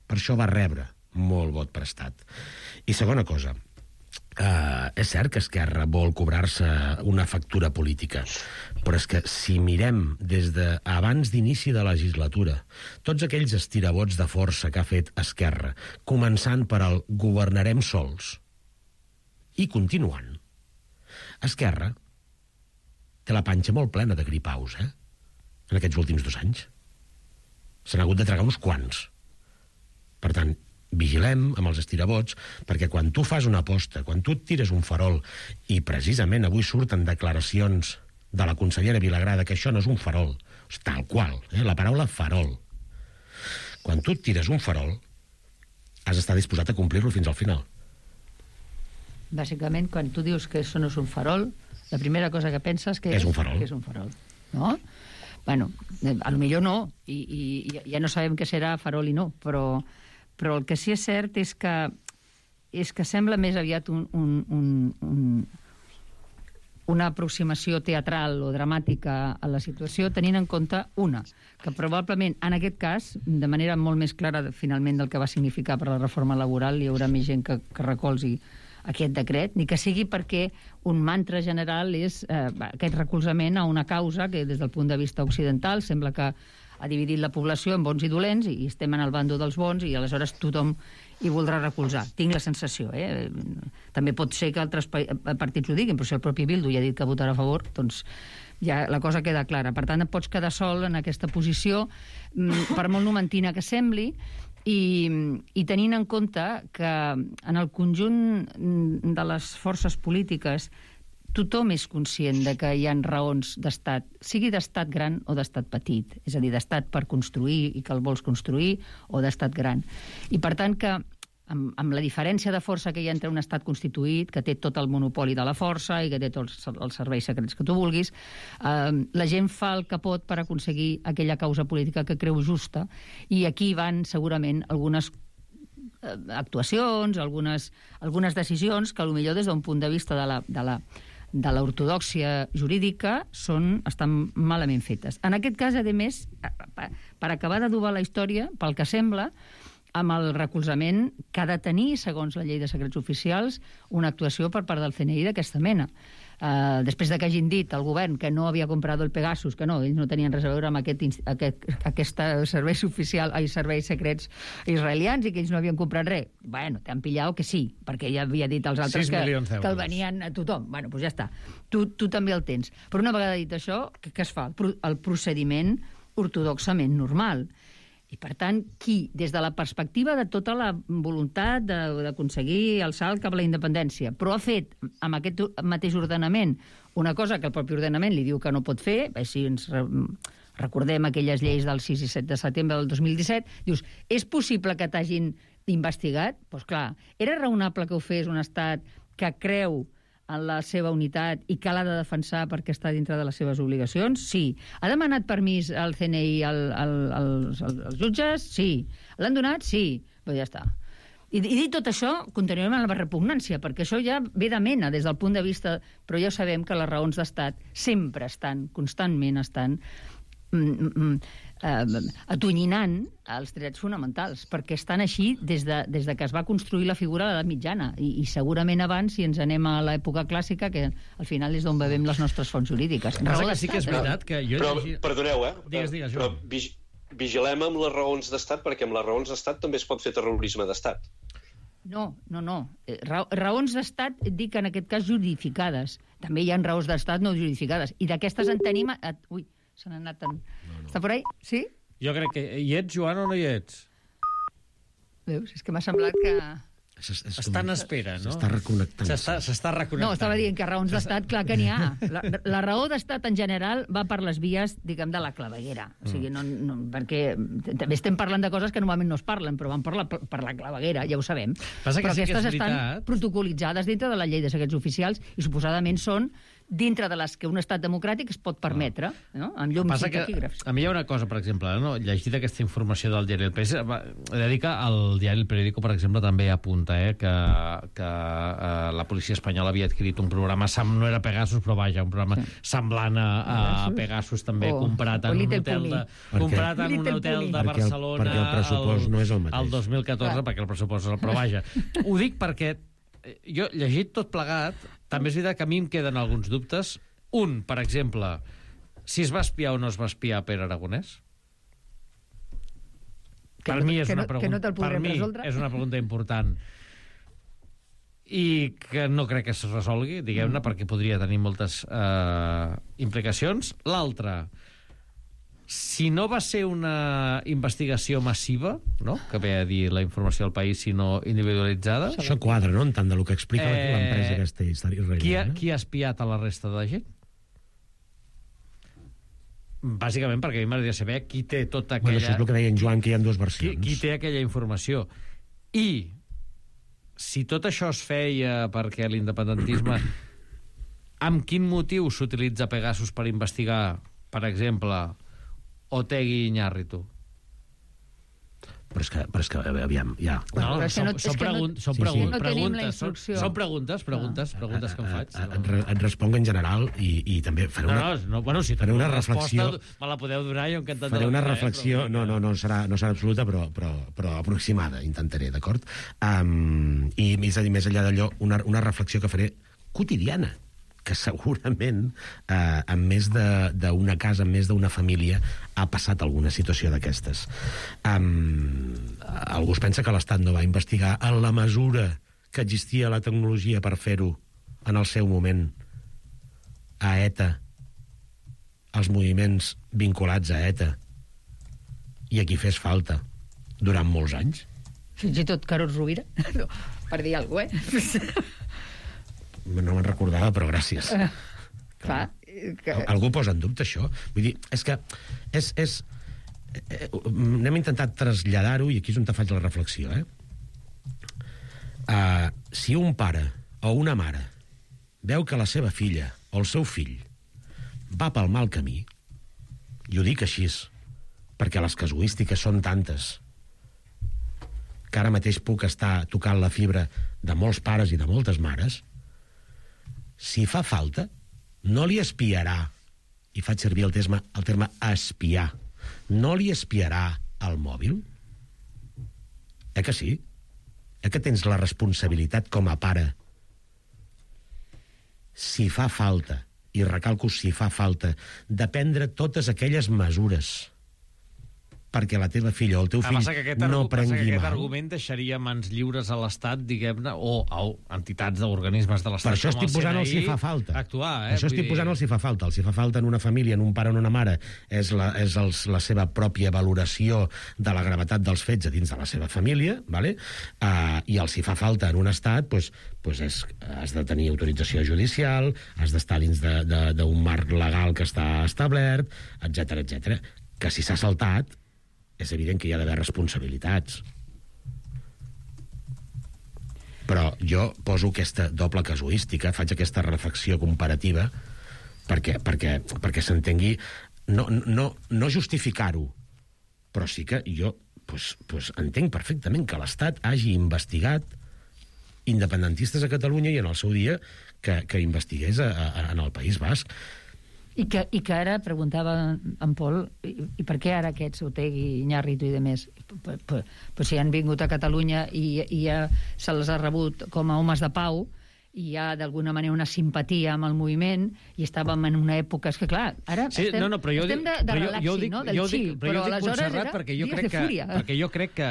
Per això va rebre molt vot prestat. I segona cosa, eh, és cert que Esquerra vol cobrar-se una factura política, però és que si mirem des de abans d'inici de legislatura, tots aquells estirabots de força que ha fet Esquerra, començant per el governarem sols i continuant, Esquerra té la panxa molt plena de gripaus, eh? En aquests últims dos anys. Se n'ha hagut de tragar uns quants. Per tant, vigilem amb els estirabots, perquè quan tu fas una aposta, quan tu et tires un farol, i precisament avui surten declaracions de la consellera Vilagrada que això no és un farol, tal qual, eh? La paraula farol. Quan tu et tires un farol, has d'estar disposat a complir-lo fins al final. Bàsicament, quan tu dius que això no és un farol, la primera cosa que penses que és, és un farol. Que és un farol, no? Bueno, a lo millor no, i, i ja no sabem què serà farol i no, però, però el que sí és cert és que, és que sembla més aviat un, un, un, un, una aproximació teatral o dramàtica a la situació, tenint en compte una, que probablement en aquest cas, de manera molt més clara finalment del que va significar per la reforma laboral, hi haurà més gent que, que recolzi aquest decret, ni que sigui perquè un mantra general és eh, aquest recolzament a una causa que des del punt de vista occidental sembla que ha dividit la població en bons i dolents i estem en el bando dels bons i aleshores tothom hi voldrà recolzar. Tinc la sensació, eh? També pot ser que altres partits ho diguin, però si el propi Bildu ja ha dit que votarà a favor, doncs ja la cosa queda clara. Per tant, et pots quedar sol en aquesta posició, per molt numentina que sembli, I, i tenint en compte que en el conjunt de les forces polítiques tothom és conscient de que hi ha raons d'estat, sigui d'estat gran o d'estat petit, és a dir, d'estat per construir i que el vols construir o d'estat gran. I per tant que amb, amb la diferència de força que hi ha entre un estat constituït, que té tot el monopoli de la força i que té tots els serveis secrets que tu vulguis, eh, la gent fa el que pot per aconseguir aquella causa política que creu justa, i aquí van segurament algunes eh, actuacions, algunes, algunes decisions que potser des d'un punt de vista de la, de la, de l'ortodòxia jurídica són, estan malament fetes. En aquest cas, a més, per acabar d'adobar la història, pel que sembla, amb el recolzament que ha de tenir, segons la llei de secrets oficials, una actuació per part del C N I d'aquesta mena. Uh, després de que hagin dit al govern que no havia comprat el Pegasus, que no, ells no tenien res a veure amb aquest, aquest, aquest serveis oficial, ai, serveis secrets israelians i que ells no havien comprat res. Bueno, t'han pillat que sí, perquè ja havia dit als altres que, que el venien a tothom. Bueno, doncs ja està. Tu, tu també el tens. Però una vegada dit això, què, què es fa? El, el procediment ortodoxament normal. I, per tant, qui, des de la perspectiva de tota la voluntat d'aconseguir el salt cap a la independència, però ha fet amb aquest mateix ordenament una cosa que el propi ordenament li diu que no pot fer, si ens recordem aquelles lleis del sis i set de setembre del dos mil disset, dius, és possible que t'hagin investigat? Doncs clar, era raonable que ho fes un estat que creu en la seva unitat i que l'ha de defensar perquè està dintre de les seves obligacions? Sí. Ha demanat permís al C N I al, al, als, als jutges? Sí. L'han donat? Sí. Però ja està. I, I dit tot això, continuem amb la repugnància, perquè això ja ve de mena des del punt de vista... Però ja sabem que les raons d'estat sempre estan, constantment estan... Mm, mm, eh, atonyinant els drets fonamentals, perquè estan així des de, des de que es va construir la figura de l'edat mitjana, i, i segurament abans, si ens anem a l'època clàssica, que al final és d'on bevem les nostres fonts jurídiques. Raó que sí que és veritat que jo... Però, perdoneu, eh? Digues, digues, però vigilem amb les raons d'estat, perquè amb les raons d'estat també es pot fer terrorisme d'estat. No, no, no. Ra raons d'estat, dic en aquest cas justificades. També hi ha raons d'estat no justificades. I d'aquestes en tenim... A... Ui, se n'ha anat... En... No, no. Està per ahí? Sí? Jo crec que... Hi ets, Joan, o no hi ets? Veus? És que m'ha semblat que... Està en espera, no? S'està reconnectant. S'està reconnectant. No, estava dient que raons d'estat, clar que n'hi ha. La, la raó d'estat en general va per les vies, diguem, de la claveguera. O sigui, no, no, perquè també estem parlant de coses que normalment no es parlen, però van per la, per la claveguera, ja ho sabem. Passa que però sí que aquestes és veritat. estan protocolitzades dintre de la llei de secrets oficials i suposadament són dintre de les que un estat democràtic es pot permetre, no? Amb llums i taquígrafs. A mi hi ha una cosa, per exemple, no? Llegit aquesta informació del diari El País, he de dir que el diari El Periódico, per exemple, també apunta eh, que, que eh, la policia espanyola havia adquirit un programa, no era Pegasus, però vaja, un programa sí. semblant a, a Pegasus, també oh, comprat en un hotel de, comprat en un hotel de Barcelona perquè el, perquè el pressupost el, no és el mateix. El dos mil catorze, ah. perquè el pressupost és el... Però vaja, ho dic perquè jo, llegit tot plegat, també és veritat que a mi em queden alguns dubtes. Un, per exemple, si es va espiar o no es va espiar per Aragonès? Que per no, mi és que una no, pregunta, no per mi resoldre. És una pregunta important i que no crec que es resolgui, diguem-ne, mm. perquè podria tenir moltes eh, implicacions. L'altra, si no va ser una investigació massiva, no? Que ve a dir la informació del País, sinó individualitzada... Això quadra, no?, en tant de lo que explica eh, l'empresa aquesta història. Qui ha, qui ha espiat a la resta de la gent? Bàsicament perquè a mi m'agradaria saber qui té tota aquella... Bueno, això és el que deia en Joan, que hi ha dues versions. Qui, qui té aquella informació. I si tot això es feia perquè l'independentisme... Amb quin motiu s'utilitza Pegasus per investigar, per exemple... Otegi i Iñárritu. Però és que, però és que aviam, ja... No, no, són, no, són, pregun no, són, pregun sí, sí. no preguntes, són, són preguntes, preguntes, preguntes que em faig. Et, et, et responc en general i, i també faré una... No, no, bueno, si faré una reflexió... Me la podeu donar, jo encantat. Faré una donar, reflexió, eh, no, no, no serà, no serà absoluta, però, però, però aproximada, intentaré, d'acord? Um, I més, més enllà d'allò, una, una reflexió que faré quotidiana, que segurament eh, en més d'una casa, en més d'una família, ha passat alguna situació d'aquestes. Um, algú es pensa que l'Estat no va investigar en la mesura que existia la tecnologia per fer-ho en el seu moment a ETA, els moviments vinculats a ETA, i a qui fes falta durant molts anys? Fins i tot Carod Rovira, no, per dir alguna cosa, eh? No me'n recordava, però gràcies. Uh, clar, que... Algú posa en dubte això? Vull dir, és que és, és, eh, n'hem intentat traslladar-ho, i aquí és on te faig la reflexió, eh? Uh, si un pare o una mare veu que la seva filla o el seu fill va pel mal camí, i ho dic així, perquè les casuístiques són tantes que ara mateix puc estar tocant la fibra de molts pares i de moltes mares, si fa falta, no li espiarà, i faig servir el terme, el terme espiar, no li espiarà el mòbil? Eh que sí? Eh que tens la responsabilitat com a pare? Si fa falta, i recalco si fa falta, de prendre totes aquelles mesures perquè la teva filla o el teu fill ah, no prengui mal. Aquest argument deixaria mans lliures a l'Estat, diguem-ne, o a entitats d'organismes de l'Estat. Per això estic posant el si fa falta. Actuar, eh? Per això estic posant el si fa falta. El si fa falta en una família, en un pare o en una mare, és, la, és els, la seva pròpia valoració de la gravetat dels fets a dins de la seva família, vale? uh, i el si fa falta en un estat, pues, pues és, has de tenir autorització judicial, has d'estar dins d'un marc legal que està establert, etcètera, etcètera. Que si s'ha saltat, és evident que hi ha d'haver responsabilitats. Però jo poso aquesta doble casuística, faig aquesta reflexió comparativa perquè, perquè, perquè s'entengui, no, no, no justificar-ho, però sí que jo pues, pues, entenc perfectament que l'Estat hagi investigat independentistes a Catalunya i en el seu dia que, que investigués a, a, en el País Basc. I que, I que ara, preguntava en Pol, i, i per què ara aquests, Otegi, Iñárritu i de més, pues, pues, pues si han vingut a Catalunya i, i ja se les ha rebut com a homes de pau, i hi ha d'alguna manera una simpatia amb el moviment, i estàvem en una època... És que clar, ara sí, estem, no, no, jo estem dic, de, de relaxi, jo dic, no? Del jo dic, xill, però, però jo dic aleshores Montserrat era perquè jo dies crec de fúria. Que, perquè jo crec que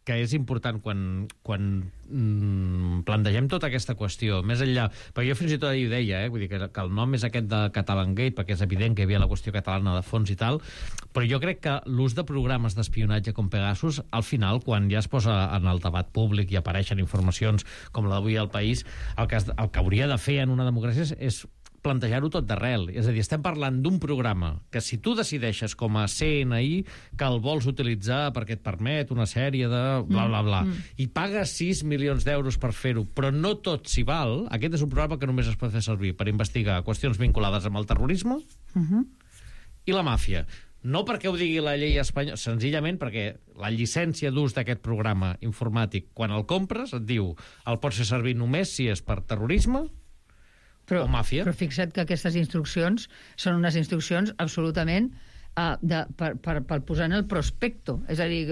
que és important quan, quan mm, plantegem tota aquesta qüestió, més enllà, perquè jo fins i tot ahir ho deia, eh, vull dir que, que el nom és aquest de Catalangate, perquè és evident que hi havia la qüestió catalana de fons i tal, però jo crec que l'ús de programes d'espionatge com Pegasus, al final, quan ja es posa en el debat públic i apareixen informacions com la d'avui al País, el que, el que hauria de fer en una democràcia és, és plantejar-ho tot d'arrel. És a dir, estem parlant d'un programa que si tu decideixes com a C N I que el vols utilitzar perquè et permet una sèrie de bla, bla, bla, mm. i pagues sis milions d'euros per fer-ho, però no tot s'hi val, aquest és un programa que només es pot fer servir per investigar qüestions vinculades amb el terrorisme mm-hmm. i la màfia. No perquè ho digui la llei espanyola, senzillament perquè la llicència d'ús d'aquest programa informàtic, quan el compres, et diu el pots fer servir només si és per terrorisme però, o màfia. Però fixa't que aquestes instruccions són unes instruccions absolutament uh, de, per, per, per posar en el prospecto. És a dir,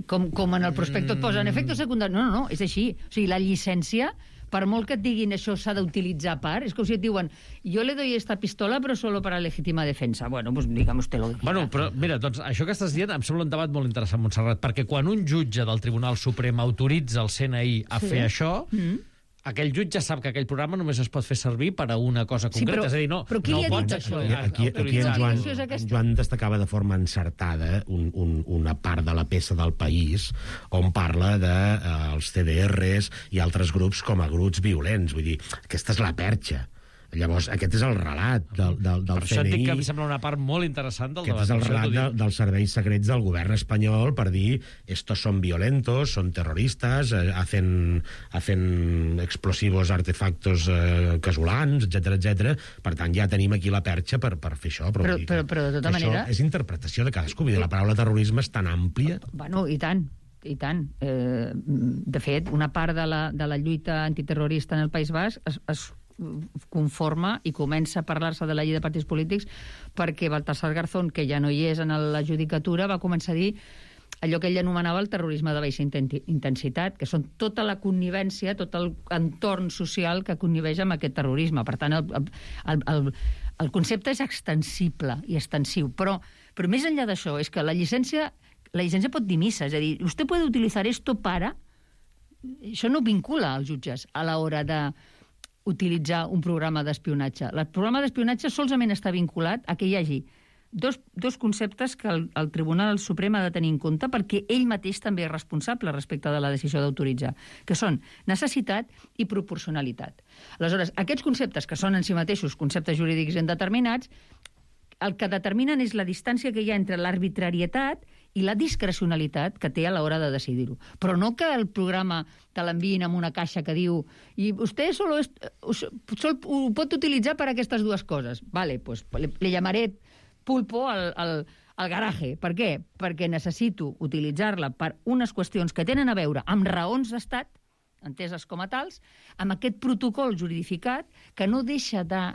com, com en el prospecto et posen efectes secundaris. No, no, no, és així. O sigui, la llicència, per molt que et diguin això s'ha d'utilitzar per, és com si et diuen jo le doy esta pistola però solo para legítima defensa. Bueno, pues digamos usted lo que bueno, però mira, doncs això que estàs dient em sembla un debat molt interessant, Montserrat, perquè quan un jutge del Tribunal Suprem autoritza el C N I a sí. fer això, mm. aquell jutge sap que aquell programa només es pot fer servir per a una cosa concreta. Sí, però, és a dir, no, però qui no li ha dit pots, això? Aquí, aquí en, Joan, en Joan destacava de forma encertada un, un, una part de la peça del País on parla dels de, uh, C D Rs i altres grups com a grups violents. Vull dir, aquesta és la perxa. Llavors, aquest és el relat del, del, del per això C N I. et dic que em sembla una part molt interessant del aquest debat. Aquest és el relat de, dels serveis secrets del govern espanyol per dir estos son violentos, son terroristas, eh, hacen, hacen explosivos artefactos eh, casolans, etcètera, etcètera. Per tant, ja tenim aquí la perxa per, per fer això. Però, però, però, però de tota manera... Això és interpretació de cadascú. La paraula terrorisme és tan àmplia... Bueno, i tant. I tant. Eh, de fet, una part de la, de la lluita antiterrorista en el País Basc es, es conforma i comença a parlar-se de la llei de partits polítics perquè Baltasar Garzón, que ja no hi és en la judicatura, va començar a dir allò que ell anomenava el terrorisme de baixa intensitat, que són tota la connivència, tot el entorn social que conniveix amb aquest terrorisme. Per tant, el, el, el, el concepte és extensible i extensiu, però, però més enllà d'això, és que la llicència, la llicència pot dir missa, és a dir, vostè pot utilitzar esto para... Això no vincula als jutges a l'hora de utilitzar un programa d'espionatge. El programa d'espionatge solament està vinculat a que hi hagi dos, dos conceptes que el, el Tribunal Suprem ha de tenir en compte perquè ell mateix també és responsable respecte de la decisió d'autoritzar, que són necessitat i proporcionalitat. Aleshores, aquests conceptes, que són en si mateixos conceptes jurídics indeterminats, el que determinen és la distància que hi ha entre l'arbitrarietat i la discrecionalitat que té a l'hora de decidir-ho. Però no que el programa te l'enviïn amb una caixa que diu i vostè solo es, sol, ho pot utilitzar per aquestes dues coses. Vale, pues le, le llamaré pulpo al, al, al garaje. Per què? Perquè necessito utilitzar-la per unes qüestions que tenen a veure amb raons d'estat, enteses com a tals, amb aquest protocol juridificat que no deixa de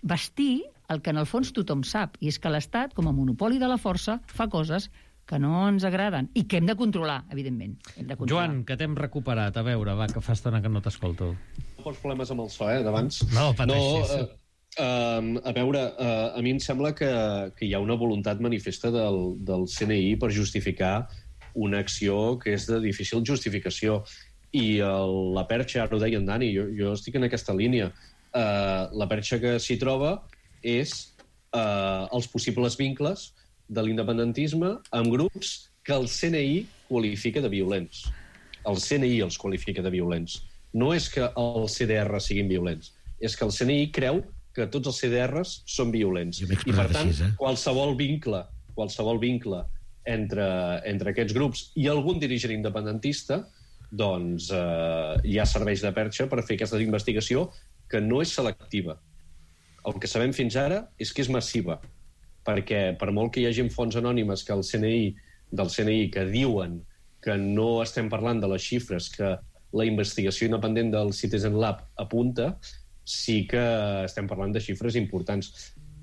vestir el que en el fons tothom sap, i és que l'Estat, com a monopoli de la força, fa coses que no ens agraden i que hem de controlar, evidentment. Hem de controlar. Joan, que t'hem recuperat. A veure, va, que fa estona que no t'escolto. Pots problemes amb el so, eh, d'abans? No, pateixis. No, uh, uh, a veure, uh, a mi em sembla que, que hi ha una voluntat manifesta del, del C N I per justificar una acció que és de difícil justificació. I el, la perxa, ara ho deia en Dani, jo, jo estic en aquesta línia. Uh, la perxa que s'hi troba és uh, els possibles vincles de l'independentisme amb grups que el C N I qualifica de violents. El C N I els qualifica de violents. No és que els C D R siguin violents, és que el C N I creu que tots els C D Rs són violents. I per tant, així, eh? qualsevol vincle, qualsevol vincle entre, entre aquests grups i algun dirigent independentista, doncs eh, hi ha serveis de perxa per fer aquesta investigació que no és selectiva. El que sabem fins ara és que és massiva, perquè per molt que hi hagi fonts anònimes que el C N I, del C N I que diuen que no estem parlant de les xifres que la investigació independent del Citizen Lab apunta, sí que estem parlant de xifres importants.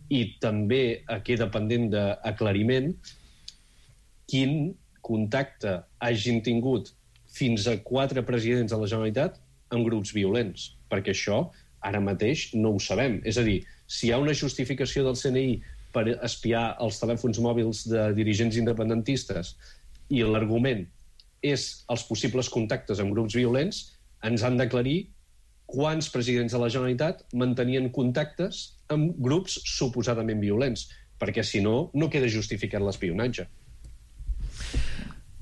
I també queda pendent d'aclariment quin contacte hagin tingut fins a quatre presidents de la Generalitat amb grups violents, perquè això ara mateix no ho sabem. És a dir, si hi ha una justificació del C N I per espiar els telèfons mòbils de dirigents independentistes i l'argument és els possibles contactes amb grups violents, ens han d'aclarir quants presidents de la Generalitat mantenien contactes amb grups suposadament violents, perquè si no, no queda justificat l'espionatge.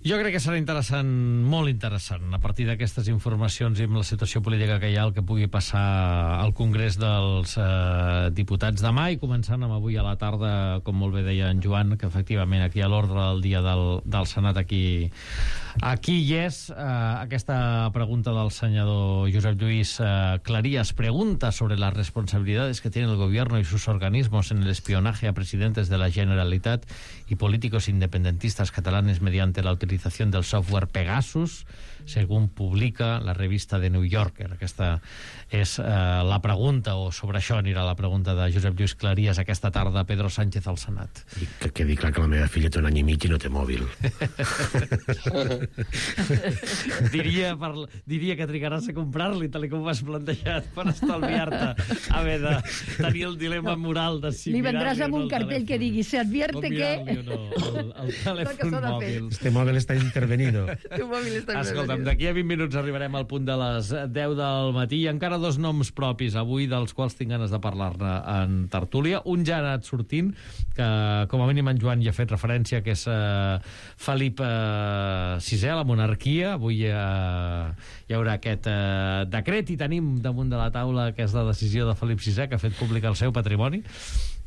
Jo crec que serà interessant, molt interessant, a partir d'aquestes informacions i amb la situació política que hi ha, el que pugui passar al Congrés dels eh, Diputats demà, i començant amb avui a la tarda, com molt bé deia en Joan, que efectivament aquí a l'ordre del dia del, del Senat aquí, aquí hi és. Eh, aquesta pregunta del senador Josep Lluís eh, Cleries pregunta sobre las responsabilidades que tiene el gobierno y sus organismos en el espionaje a presidentes de la Generalitat y políticos independentistas catalanes mediante la utilización del software Pegasus, según publica la revista The New Yorker. Aquesta és eh, la pregunta, o sobre això anirà la pregunta de Josep Lluís Cleries aquesta tarda a Pedro Sánchez al Senat. I que quedi clar que la meva filla té un any i mig i no té mòbil. diria, per, diria que trigaràs a comprar-li, tal com ho has plantejat, per estalviar-te haver de tenir el dilema moral de si li vendràs amb un cartell que digui se advierte que... No, el, el telèfon mòbil. Este mòbil està intervenido. Tu mòbil està intervenido. Escolta'm, d'aquí a vint minuts arribarem al punt de les deu del matí i encara dos noms propis avui dels quals tinc ganes de parlar-ne en tertúlia. Un ja ha anat sortint, que com a mínim en Joan hi ha fet referència, que és eh, Felip eh, sisè, la monarquia. Avui eh, hi haurà aquest eh, decret i tenim damunt de la taula aquesta decisió de Felip sisè, que ha fet públic el seu patrimoni.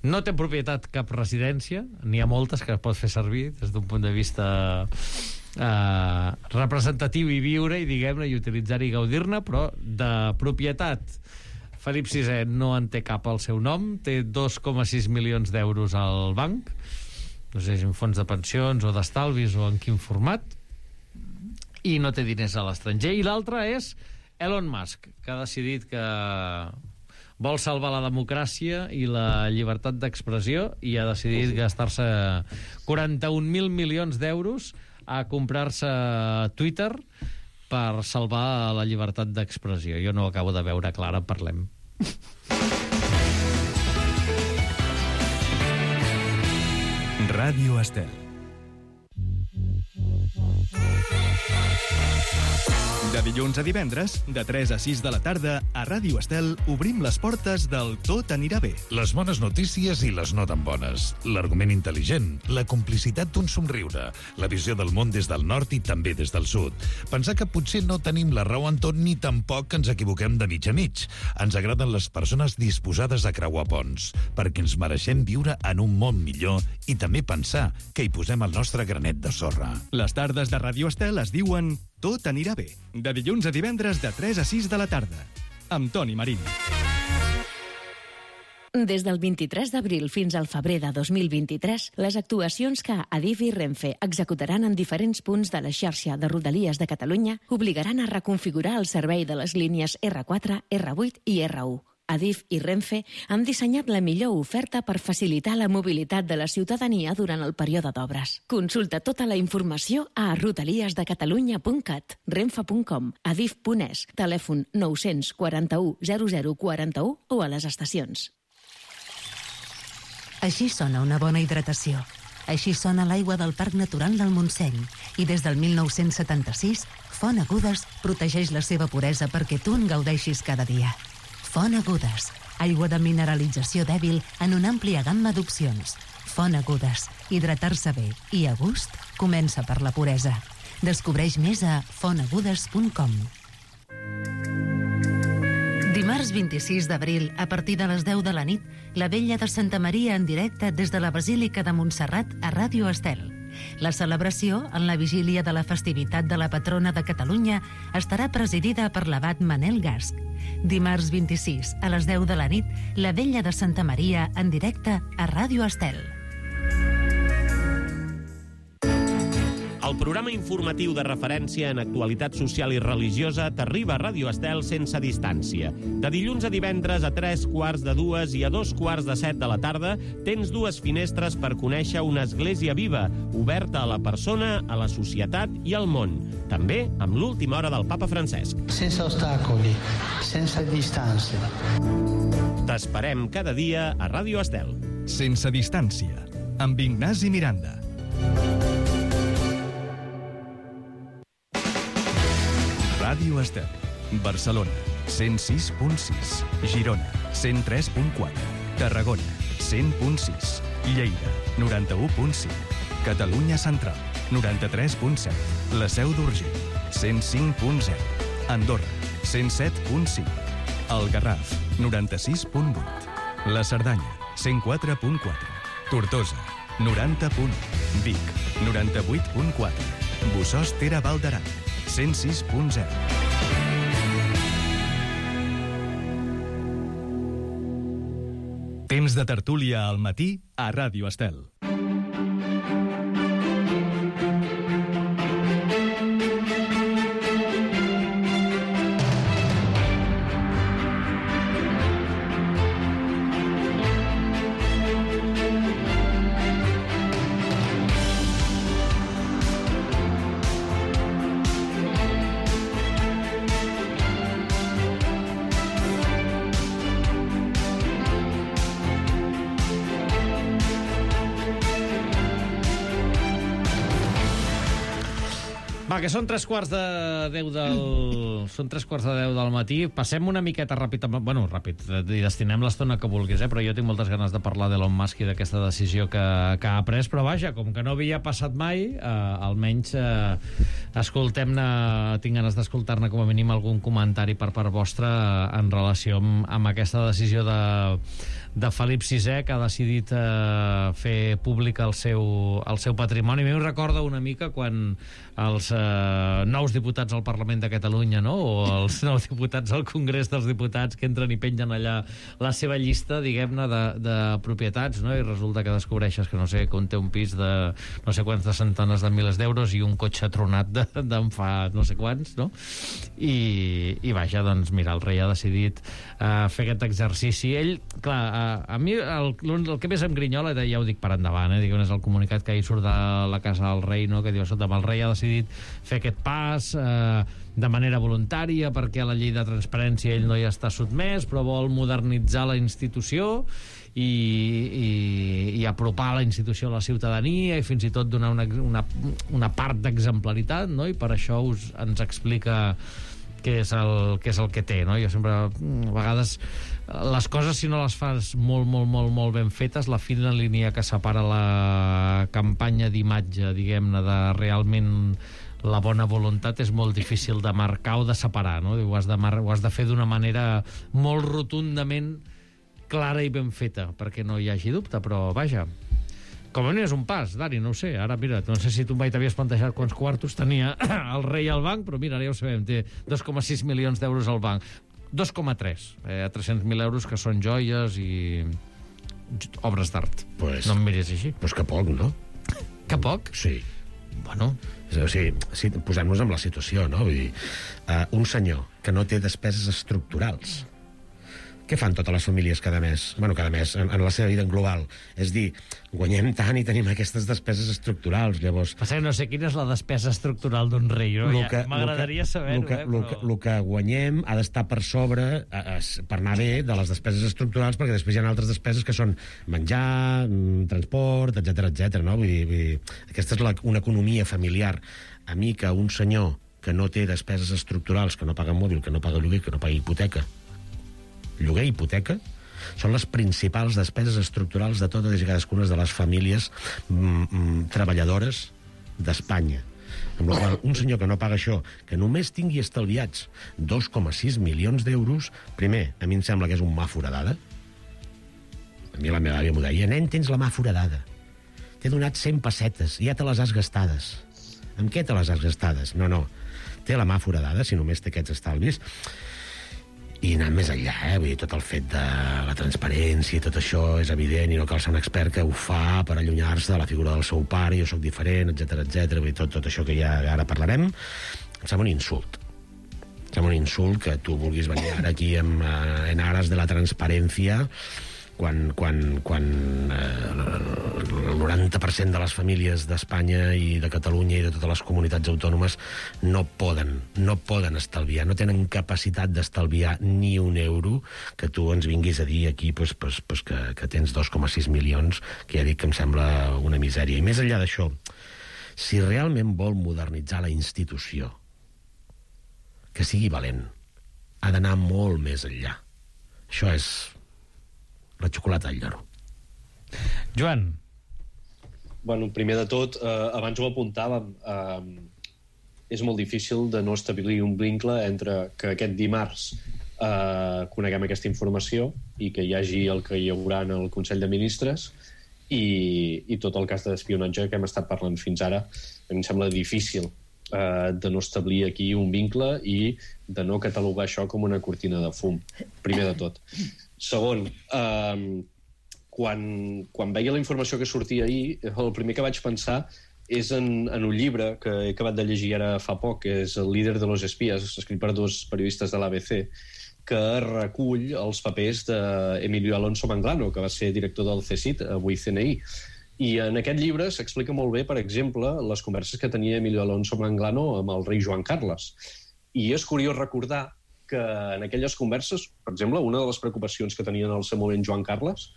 No té en propietat cap residència, n'hi ha moltes que es pot fer servir des d'un punt de vista eh, representatiu i viure, i diguem-ne, i utilitzar-hi i gaudir-ne, però de propietat Felip sisè no en té cap al seu nom, té dos coma sis milions d'euros al banc, no sé si en fons de pensions o d'estalvis o en quin format, i no té diners a l'estranger. I l'altre és Elon Musk, que ha decidit que vol salvar la democràcia i la llibertat d'expressió i ha decidit gastar-se quaranta-un mil milions d'euros a comprar-se Twitter per salvar la llibertat d'expressió. Jo no ho acabo de veure clar, en parlem. Ràdio Estel. De dilluns a divendres, de tres a sis de la tarda, a Ràdio Estel obrim les portes del Tot anirà bé. Les bones notícies i les no tan bones. L'argument intel·ligent, la complicitat d'un somriure, la visió del món des del nord i també des del sud. Pensar que potser no tenim la raó en tot ni tampoc que ens equivoquem de mig a mig. Ens agraden les persones disposades a creuar ponts, perquè ens mereixem viure en un món millor i també pensar que hi posem el nostre granet de sorra. Les tardes de Ràdio Estel es diuen Tot anirà bé. De dilluns a divendres de tres a sis de la tarda. Amb Toni Marín. Des del vint-i-tres d'abril fins al febrer de dos mil vint-i-tres, les actuacions que Adif i Renfe executaran en diferents punts de la xarxa de Rodalies de Catalunya obligaran a reconfigurar el servei de les línies erre quatre, erre vuit i erre u. Adif i Renfe han dissenyat la millor oferta per facilitar la mobilitat de la ciutadania durant el període d'obres. Consulta tota la informació a rodalies de catalunya punt cat, renfe punt com, adif punt es, telèfon nou quaranta-u zero zero quaranta-u o a les estacions. Així sona una bona hidratació. Així sona l'aigua del Parc Natural del Montseny. I des del mil nou-cents setanta-sis, Font Agudes protegeix la seva puresa perquè tu en gaudeixis cada dia. Font Agudes, aigua de mineralització dèbil en una àmplia gamma d'opcions. Font Agudes, hidratar-se bé i a gust comença per la puresa. Descobreix més a font agudes punt com. Dimarts vint-i-sis d'abril, a partir de les deu de la nit, la Vetlla de Santa Maria en directe des de la Basílica de Montserrat a Ràdio Estel. La celebració, en la vigília de la festivitat de la patrona de Catalunya, estarà presidida per l'abat Manel Gasch. Dimarts vint-i-sis, a les deu de la nit, la Vetlla de Santa Maria en directe a Ràdio Estel. El programa informatiu de referència en actualitat social i religiosa t'arriba a Ràdio Estel sense distància. De dilluns a divendres a tres quarts de dues i a dos quarts de set de la tarda tens dues finestres per conèixer una església viva, oberta a la persona, a la societat i al món. També amb l'última hora del papa Francesc. Sense ostacoli, sense distància. T'esperem cada dia a Ràdio Estel. Sense distància, amb Ignasi Miranda. Ràdio Estel. Barcelona, cent sis punt sis. Girona, cent tres punt quatre. Tarragona, cent punt sis. Lleida, noranta-u punt cinc. Catalunya Central, noranta-tres punt set. La Seu d'Urgell, cent cinc punt zero. Andorra, cent set punt cinc. El Garraf, noranta-sis punt vuit. La Cerdanya, cent quatre punt quatre. Tortosa, noranta punt u. Vic, noranta-vuit punt quatre. Bossòst Ter Val d'Aran, cent sis punt zero. Temps de tertúlia al matí a Ràdio Estel. Va, que són tres quarts de deu del... Són tres quarts de deu del matí. Passem una miqueta ràpid... Bueno, ràpid, i destinem l'estona que vulguis, eh? Però jo tinc moltes ganes de parlar d'Elon Musk i d'aquesta decisió que, que ha pres. Però vaja, com que no havia passat mai, eh, almenys eh, escoltem-ne... Tinc ganes d'escoltar-ne com a mínim algun comentari per part vostra en relació amb, amb aquesta decisió de... de Felip sisè, que ha decidit eh, fer públic el seu, el seu patrimoni. A mi em recorda una mica quan els eh, nous diputats al Parlament de Catalunya, no? O els nous diputats al Congrés dels Diputats, que entren i pengen allà la seva llista, diguem-ne, de, de propietats, no? I resulta que descobreixes que, no sé, que un té un pis de no sé quantes centenes de milers d'euros i un cotxe tronat d'en de, fa no sé quants, no? I, i vaja, doncs, mira, el rei ha decidit eh, fer aquest exercici. Ell, clar, eh, a mi el, el que més em grinyola, ja ho dic per endavant, eh, diguem, és el comunicat que ahir surt de la casa del rei, no? Que diu, escolta, el rei ha decidit fer aquest pas eh, de manera voluntària perquè a la llei de transparència ell no hi està sotmès, però vol modernitzar la institució i, i, i apropar la institució a la ciutadania i fins i tot donar una, una, una part d'exemplaritat, no? I per això us, ens explica què és, el, què és el que té, no? Jo sempre, a vegades, les coses, si no les fas molt, molt, molt, molt ben fetes, la fina línia que separa la campanya d'imatge, diguem-ne, de realment la bona voluntat és molt difícil de marcar o de separar, no? Ho has de, mar ho has de fer d'una manera molt rotundament clara i ben feta, perquè no hi hagi dubte, però vaja... Com a mínim és un pas, Dani, no ho sé. Ara, mira, no sé si tu mai t'havies plantejat quants quartos tenia el rei al banc, però mira, ara ja ho sabem, té dos coma sis milions d'euros al banc. dos coma tres, eh, a tres-cents mil euros, que són joies i obres d'art. Pues, no em miris així. Pues que poc, no? Que poc? Sí. Bueno... O sigui, sí, posem-nos en la situació, no? Vull dir, uh, un senyor que no té despeses estructurals... Què fan totes les famílies cada mes? Bueno, cada mes, en, en la seva vida en global. És dir, guanyem tant i tenim aquestes despeses estructurals, llavors... Passa que no sé quina és la despesa estructural d'un rei, no? Ja, m'agradaria saber-ho, eh? Però... El que guanyem ha d'estar per sobre, a, a, per anar bé, de les despeses estructurals, perquè després hi ha altres despeses que són menjar, transport, etcètera, etcètera, no? Vull dir, vull dir, aquesta és la, una economia familiar. A mi que un senyor que no té despeses estructurals, que no paga mòbil, que no paga lloguer, que no paga hipoteca, lloguer i hipoteca, són les principals despeses estructurals de totes i cadascuna de les famílies mm, mm, treballadores d'Espanya. Amb la qual un senyor que no paga això, que només tingui estalviats dos coma sis milions d'euros, primer, a mi em sembla que és un mà foradada. A mi la meva àvia m'ho deia, nen, tens la mà foradada. T'he donat cent pessetes, ja te les has gastades. Amb què te les has gastades? No, no, té la mà foradada, si només té aquests estalvis. I anant més enllà, eh? Vull dir, tot el fet de la transparència, tot això és evident i no cal ser un expert que ho fa per allunyar-se de la figura del seu pare, jo sóc diferent, etcètera, etcètera. Vull dir, tot, tot això que ja ara parlarem, em sembla un insult. Em sembla un insult que tu vulguis venir ara aquí en, en ares de la transparència quan, quan, quan eh, el noranta per cent de les famílies d'Espanya i de Catalunya i de totes les comunitats autònomes no poden, no poden estalviar, no tenen capacitat d'estalviar ni un euro, que tu ens vinguis a dir aquí pues, pues, pues que, que tens dos coma sis milions, que ja dic que em sembla una misèria. I més enllà d'això, si realment vol modernitzar la institució, que sigui valent. Ha d'anar molt més enllà. Això és la xocolata al lloro. Joan. Bueno, primer de tot, eh, abans ho apuntàvem, eh, és molt difícil de no establir un vincle entre que aquest dimarts eh, coneguem aquesta informació i que hi hagi el que hi haurà en el Consell de Ministres i, i tot el cas d'espionatge que hem estat parlant fins ara. A mi em sembla difícil eh, de no establir aquí un vincle i de no catalogar això com una cortina de fum, primer de tot. Segon, eh, quan, quan veia la informació que sortia ahir, el primer que vaig pensar és en, en un llibre que he acabat de llegir ara fa poc, que és El líder de los espías, escrit per dos periodistes de l'A B C, que recull els papers d'Emilio Alonso Manglano, que va ser director del C S I T, avui C N I. I en aquest llibre s'explica molt bé, per exemple, les converses que tenia Emilio Alonso Manglano amb el rei Joan Carles. I és curiós recordar que en aquelles converses, per exemple, una de les preocupacions que tenia en el seu moment Joan Carles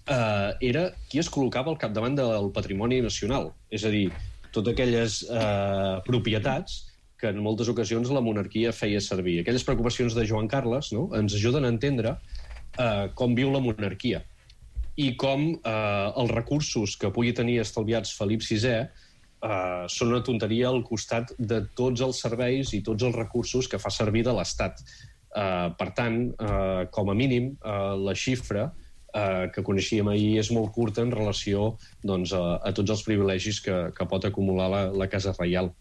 eh, era qui es col·locava al capdavant del patrimoni nacional. És a dir, totes aquelles eh, propietats que en moltes ocasions la monarquia feia servir. Aquelles preocupacions de Joan Carles, no?, ens ajuden a entendre eh, com viu la monarquia i com eh, els recursos que pugui tenir estalviats Felip sisè eh, són una tonteria al costat de tots els serveis i tots els recursos que fa servir de l'Estat. Eh, per tant, eh, com a mínim, eh, la xifra eh, que coneixíem ahir és molt curta en relació doncs, a, a tots els privilegis que, que pot acumular la, la Casa Reial.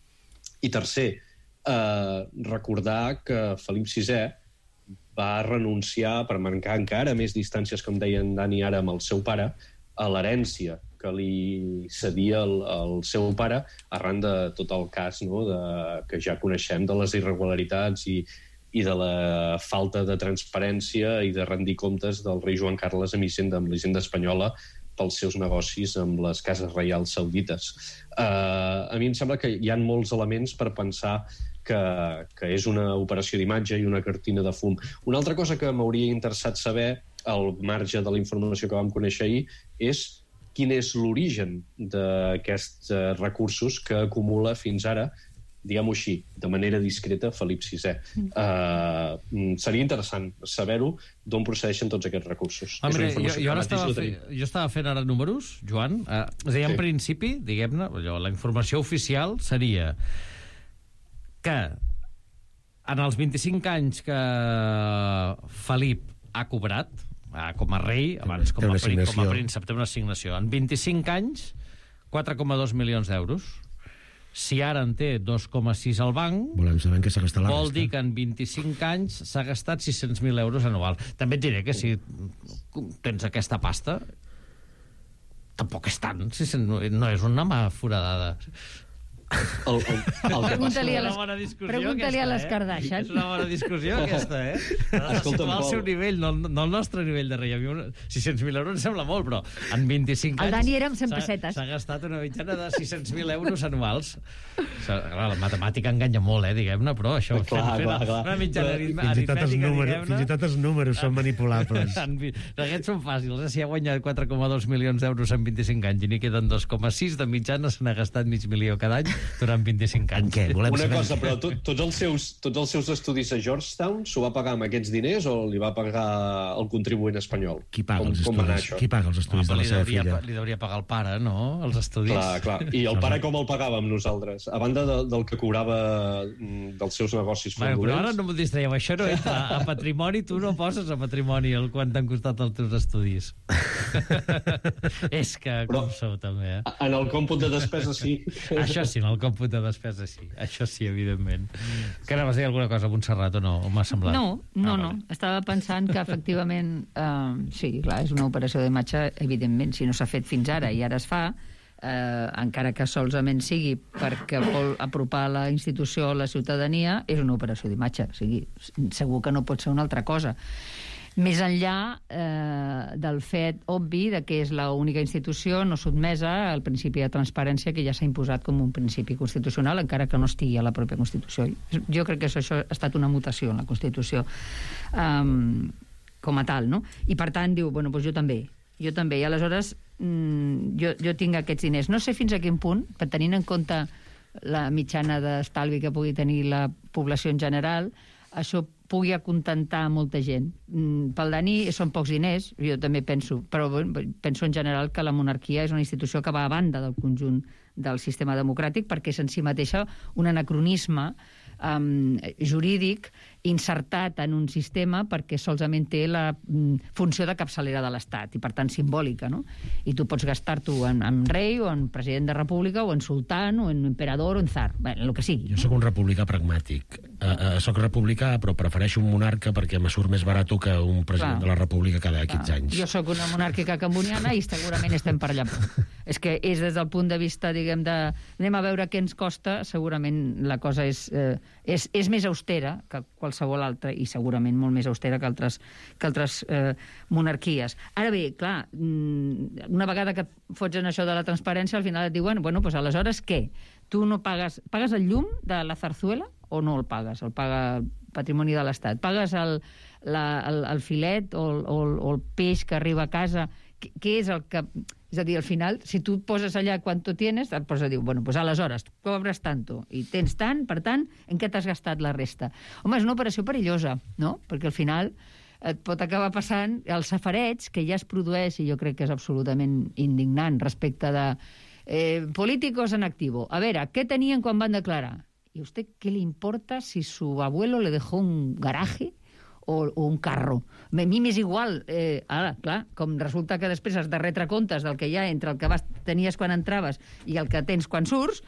I tercer, eh, recordar que Felip sisè va renunciar, per mancar encara més distàncies, com deia en Dani ara, amb el seu pare, a l'herència que li cedia el, el seu pare arran de tot el cas, no?, de, que ja coneixem, de les irregularitats i, i de la falta de transparència i de rendir comptes del rei Joan Carles amb Hisenda, amb l'Hisenda espanyola, pels seus negocis amb les cases reials saudites. Uh, a mi em sembla que hi ha molts elements per pensar que, que és una operació d'imatge i una cortina de fum. Una altra cosa que m'hauria interessat saber, al marge de la informació que vam conèixer ahir, és quin és l'origen d'aquests recursos que acumula fins ara, diguem-ho així, de manera discreta, Felip sisè. Uh, seria interessant saber-ho d'on procedeixen tots aquests recursos. Ah, mira, jo, jo, estava fe, jo estava fent ara números, Joan. Uh, és a dir, en sí. principi, diguem-ne, la informació oficial seria que en els vint-i-cinc anys que Felip ha cobrat, uh, com a rei, abans com a, prin, com a príncep, té una assignació. En vint-i-cinc anys, quatre coma dos milions d'euros. Si ara en té dos coma sis al banc, volem saber en què s'ha gastat la vol resta. dir que en vint-i-cinc anys s'ha gastat sis-cents mil euros anual. També et diré que si tens aquesta pasta, tampoc és tant. No és una mà foradada. El, el, el pregunta-li a les, pregunta a les Kardashian. És una bona discussió aquesta, eh? Ha de situar el seu nivell, no, no el nostre nivell de rei. sis-cents mil euros em sembla molt, però en vint-i-cinc anys... El Dani era amb cent pessetes. S'ha gastat una mitjana de sis-cents mil euros anuals. Clar, la matemàtica enganya molt, eh, diguem-ne, però això... Clar, fent, clar, clar. Una mitjana aritmètica, diguem-ne... Fins i tot els números són manipulables. Aquests són fàcils, eh? Si ha guanyat quatre coma dos milions d'euros en vint-i-cinc anys i n'hi queden dos coma sis, de mitjana se n'ha gastat mig milió cada any durant vint-i-cinc anys. Què? Volem Una saber cosa, però to, tots, els seus, tots els seus estudis a Georgetown s'ho va pagar amb aquests diners o li va pagar el contribuent espanyol? Qui paga com, els com estudis? Qui paga els estudis ah, de la seva devia, filla? Li hauria pagar el pare, no? Els estudis. Clar, clar. I el pare com el pagàvem nosaltres? A banda de, del que cobrava dels seus negocis fraudulents. Bueno, però ara no m'ho distraieu. Això no entra a patrimoni. Tu no poses a patrimoni el quant t'han costat els teus estudis. És que però, com sou, també, eh? En el còmput de despesa, sí. Això sí, en el còmput de despesa, sí. Això sí, evidentment. Que anaves a dir alguna cosa a Montserrat o no? O m'ha semblat? No, no, ah, no. Vale. Estava pensant que, efectivament, eh, sí, clar, és una operació d'imatge, evidentment, si no s'ha fet fins ara i ara es fa, eh, encara que solament sigui perquè vol apropar la institució a la ciutadania, és una operació d'imatge. O sigui, segur que no pot ser una altra cosa. Més enllà eh, del fet obvi de que és l'única institució no sotmesa al principi de transparència que ja s'ha imposat com un principi constitucional, encara que no estigui a la pròpia Constitució. Jo crec que això, això ha estat una mutació en la Constitució um, com a tal, no? I per tant diu, bueno, doncs jo també. Jo també. I aleshores mm, jo, jo tinc aquests diners. No sé fins a quin punt, per tenint en compte la mitjana d'estalvi que pugui tenir la població en general, això pugui acontentar molta gent. Pel Dani són pocs diners, jo també penso, però penso en general que la monarquia és una institució que va a banda del conjunt del sistema democràtic perquè és en si mateixa un anacronisme um, jurídic insertat en un sistema perquè solament té la um, funció de capçalera de l'Estat i, per tant, simbòlica, no? I tu pots gastar-t'ho en, en rei o en president de república o en sultán o en emperador o en tsar, bé, el que sigui. Jo sóc un republicà pragmàtic. Uh, uh, soc republicà, però prefereixo un monarca perquè me surt més barat que un president Clar. de la república cada quinze anys. Jo sóc una monàrquica camboniana i segurament estem per allà. És que és des del punt de vista, diguem, de... anem a veure què ens costa, segurament la cosa és, eh, és, és més austera que qualsevol altra i segurament molt més austera que altres, que altres eh, monarquies. Ara bé, clar, una vegada que fots en això de la transparència, al final et diuen, bueno, doncs aleshores què? Tu no pagues... Pagues el llum de la Zarzuela o no el pagues? El paga el patrimoni de l'Estat. Pagues el, la, el, el filet o el, o, el, o el peix que arriba a casa? Què, què és el que... És a dir, al final, si tu poses allà quanto tienes, et posa a dir, bueno, pues aleshores, cobres tanto, i tens tant, per tant, en què t'has gastat la resta? Home, és una operació perillosa, no? Perquè al final et pot acabar passant el safareig que ja es produeix, i jo crec que és absolutament indignant, respecte de eh, políticos en activo. A veure, què tenien quan van declarar? ¿Y a usted qué le importa si su abuelo le dejó un garaje o, o un carro? A mi m'és igual. Eh, ara, clar, com resulta que després has de retre comptes del que hi ha entre el que vas, tenies quan entraves i el que tens quan surts,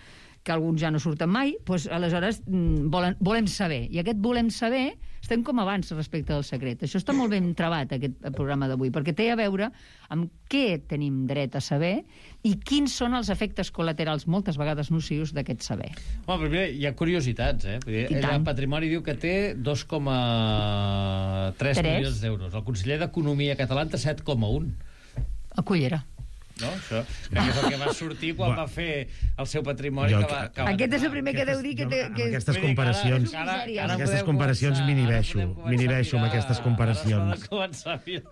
que alguns ja no surten mai, doncs aleshores volen, volem saber. I aquest volem saber estem com abans respecte del secret. Això està molt ben trebat, aquest programa d'avui, perquè té a veure amb què tenim dret a saber i quins són els efectes col·laterals, moltes vegades nocius, d'aquest saber. Home, primer, hi ha curiositats, eh? Ell en patrimoni diu que té dos coma tres milions d'euros. El conseller d'Economia català en té set coma un. A cullera. No? Això crec que és el que va sortir quan va fer el seu patrimoni. Jo, que va, que va aquest és el primer que deu dir que... Té, que aquestes comparacions, ara, ara, ara aquestes comparacions m'inhibeixo, m'inhibeixo amb aquestes comparacions.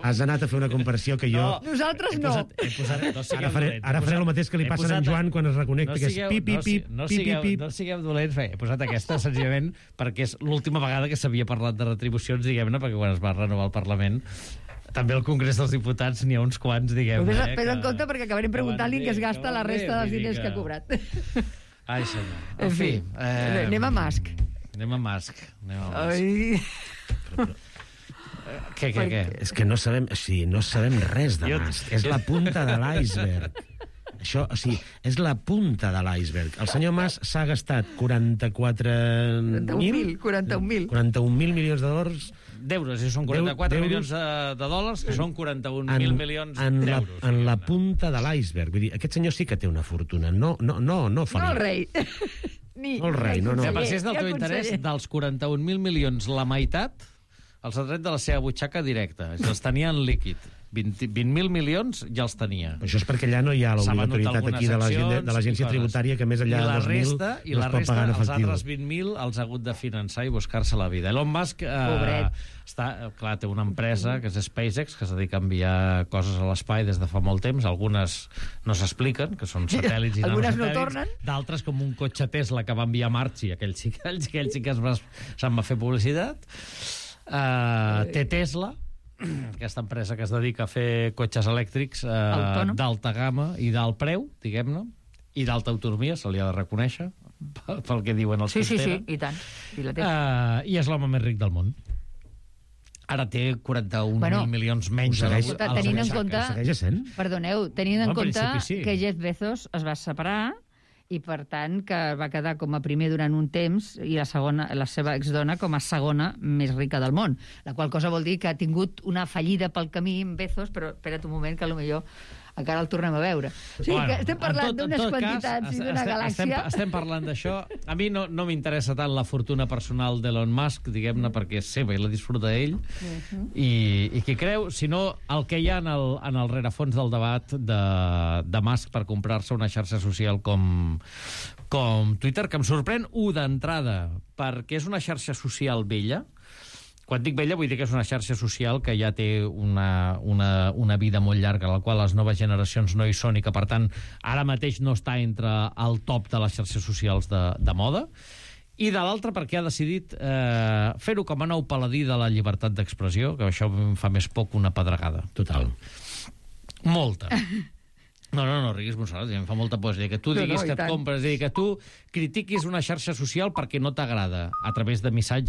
Has anat a fer una comparació que jo... No, nosaltres no. He posat, he posat, no ara faré, ara faré el mateix que li passa a en Joan quan es reconnecta, no que és pip, pip, pip, no pip, sigueu, pip. No sigueu dolents, he posat aquesta senzillament perquè és l'última vegada que s'havia parlat de retribucions, diguem-ne, perquè quan es va renovar el Parlament també al Congrés dels Diputats n'hi ha uns quants, diguem-ne. Però eh, en compte perquè acabarem preguntant-li que es gasta la resta dels diners que ha cobrat. Ai, senyor. En fi, eh, anem a Musk. Anem a Musk. Anem a Musk. Ai... Què, què, què? És que no sabem, o sigui, no sabem res de Musk. És la punta de l'iceberg. Això, o sigui, és la punta de l'iceberg. El senyor Mas s'ha gastat quaranta-quatre mil... quaranta-un mil. quaranta-un mil milions de dòlars... D'euros, i són quaranta-quatre milions de, de dòlars, que són quaranta-un mil milions d'euros. En la punta de l'iceberg. Vull dir, aquest senyor sí que té una fortuna. No, no, no, no fa no el rei. Ni, no el rei, no, no. Per si és del teu interès, dels quaranta-un mil milions, la meitat els ha tret de la seva butxaca directa. Els tenia en líquid. vint mil milions ja els tenia. Això és perquè allà no hi ha l'obligatorietat aquí de l'agència tributària que més enllà de dos mil no es pot pagar en efectiu. I la resta, els altres vint mil els ha hagut de finançar i buscar-se la vida. Elon Musk eh, està, clar, té una empresa que és SpaceX, que es dedica a enviar coses a l'espai des de fa molt temps. Algunes no s'expliquen, que són satèl·lits i algunes no tornen. D'altres, com un cotxe Tesla que va enviar a Marchi, aquell sí, aquell sí que se'n va fer publicitat. Uh, té Tesla, aquesta empresa que es dedica a fer cotxes elèctrics eh, d'alta gamma i d'alt preu, diguem-ne, i d'alta autonomia, se li ha de reconèixer, pel que diuen els sí, que sí, tenen. Sí, sí, i tant. I, la té. Uh, I és l'home més ric del món. Ara té quaranta-un mil bueno, milions menys. Segueix, a tenint en compte, perdoneu, tenint en no, compte sí. que Jeff Bezos es va separar i, per tant, que va quedar com a primer durant un temps i la, segona, la seva exdona com a segona més rica del món. La qual cosa vol dir que ha tingut una fallida pel camí en Bezos, però espera't un moment que potser encara el tornem a veure. O sigui, bueno, que estem parlant d'unes quantitats cas, i d'una galàxia... Estem, estem parlant d'això. A mi no, no m'interessa tant la fortuna personal d'Elon Musk, diguem-ne, perquè és seva i la disfruta ell, uh-huh. i, i qui creu, sinó el que hi ha en el, en el rerefons del debat de, de Musk per comprar-se una xarxa social com, com Twitter, que em sorprèn, u, d'entrada, perquè és una xarxa social vella, Quan dic vella vull dir que és una xarxa social que ja té una, una, una vida molt llarga, a la qual les noves generacions no hi són i que, per tant, ara mateix no està entre el top de les xarxes socials de, de moda. I de l'altra perquè ha decidit eh, fer-ho com a nou paladí de la llibertat d'expressió, que això em fa més poc una pedregada. Total. Molta. No, no, no, riguis, Montserrat, em fa molta por. És a dir, que tu diguis no, no, que et compres, és a dir, que tu critiquis una xarxa social perquè no t'agrada, a través de missatges.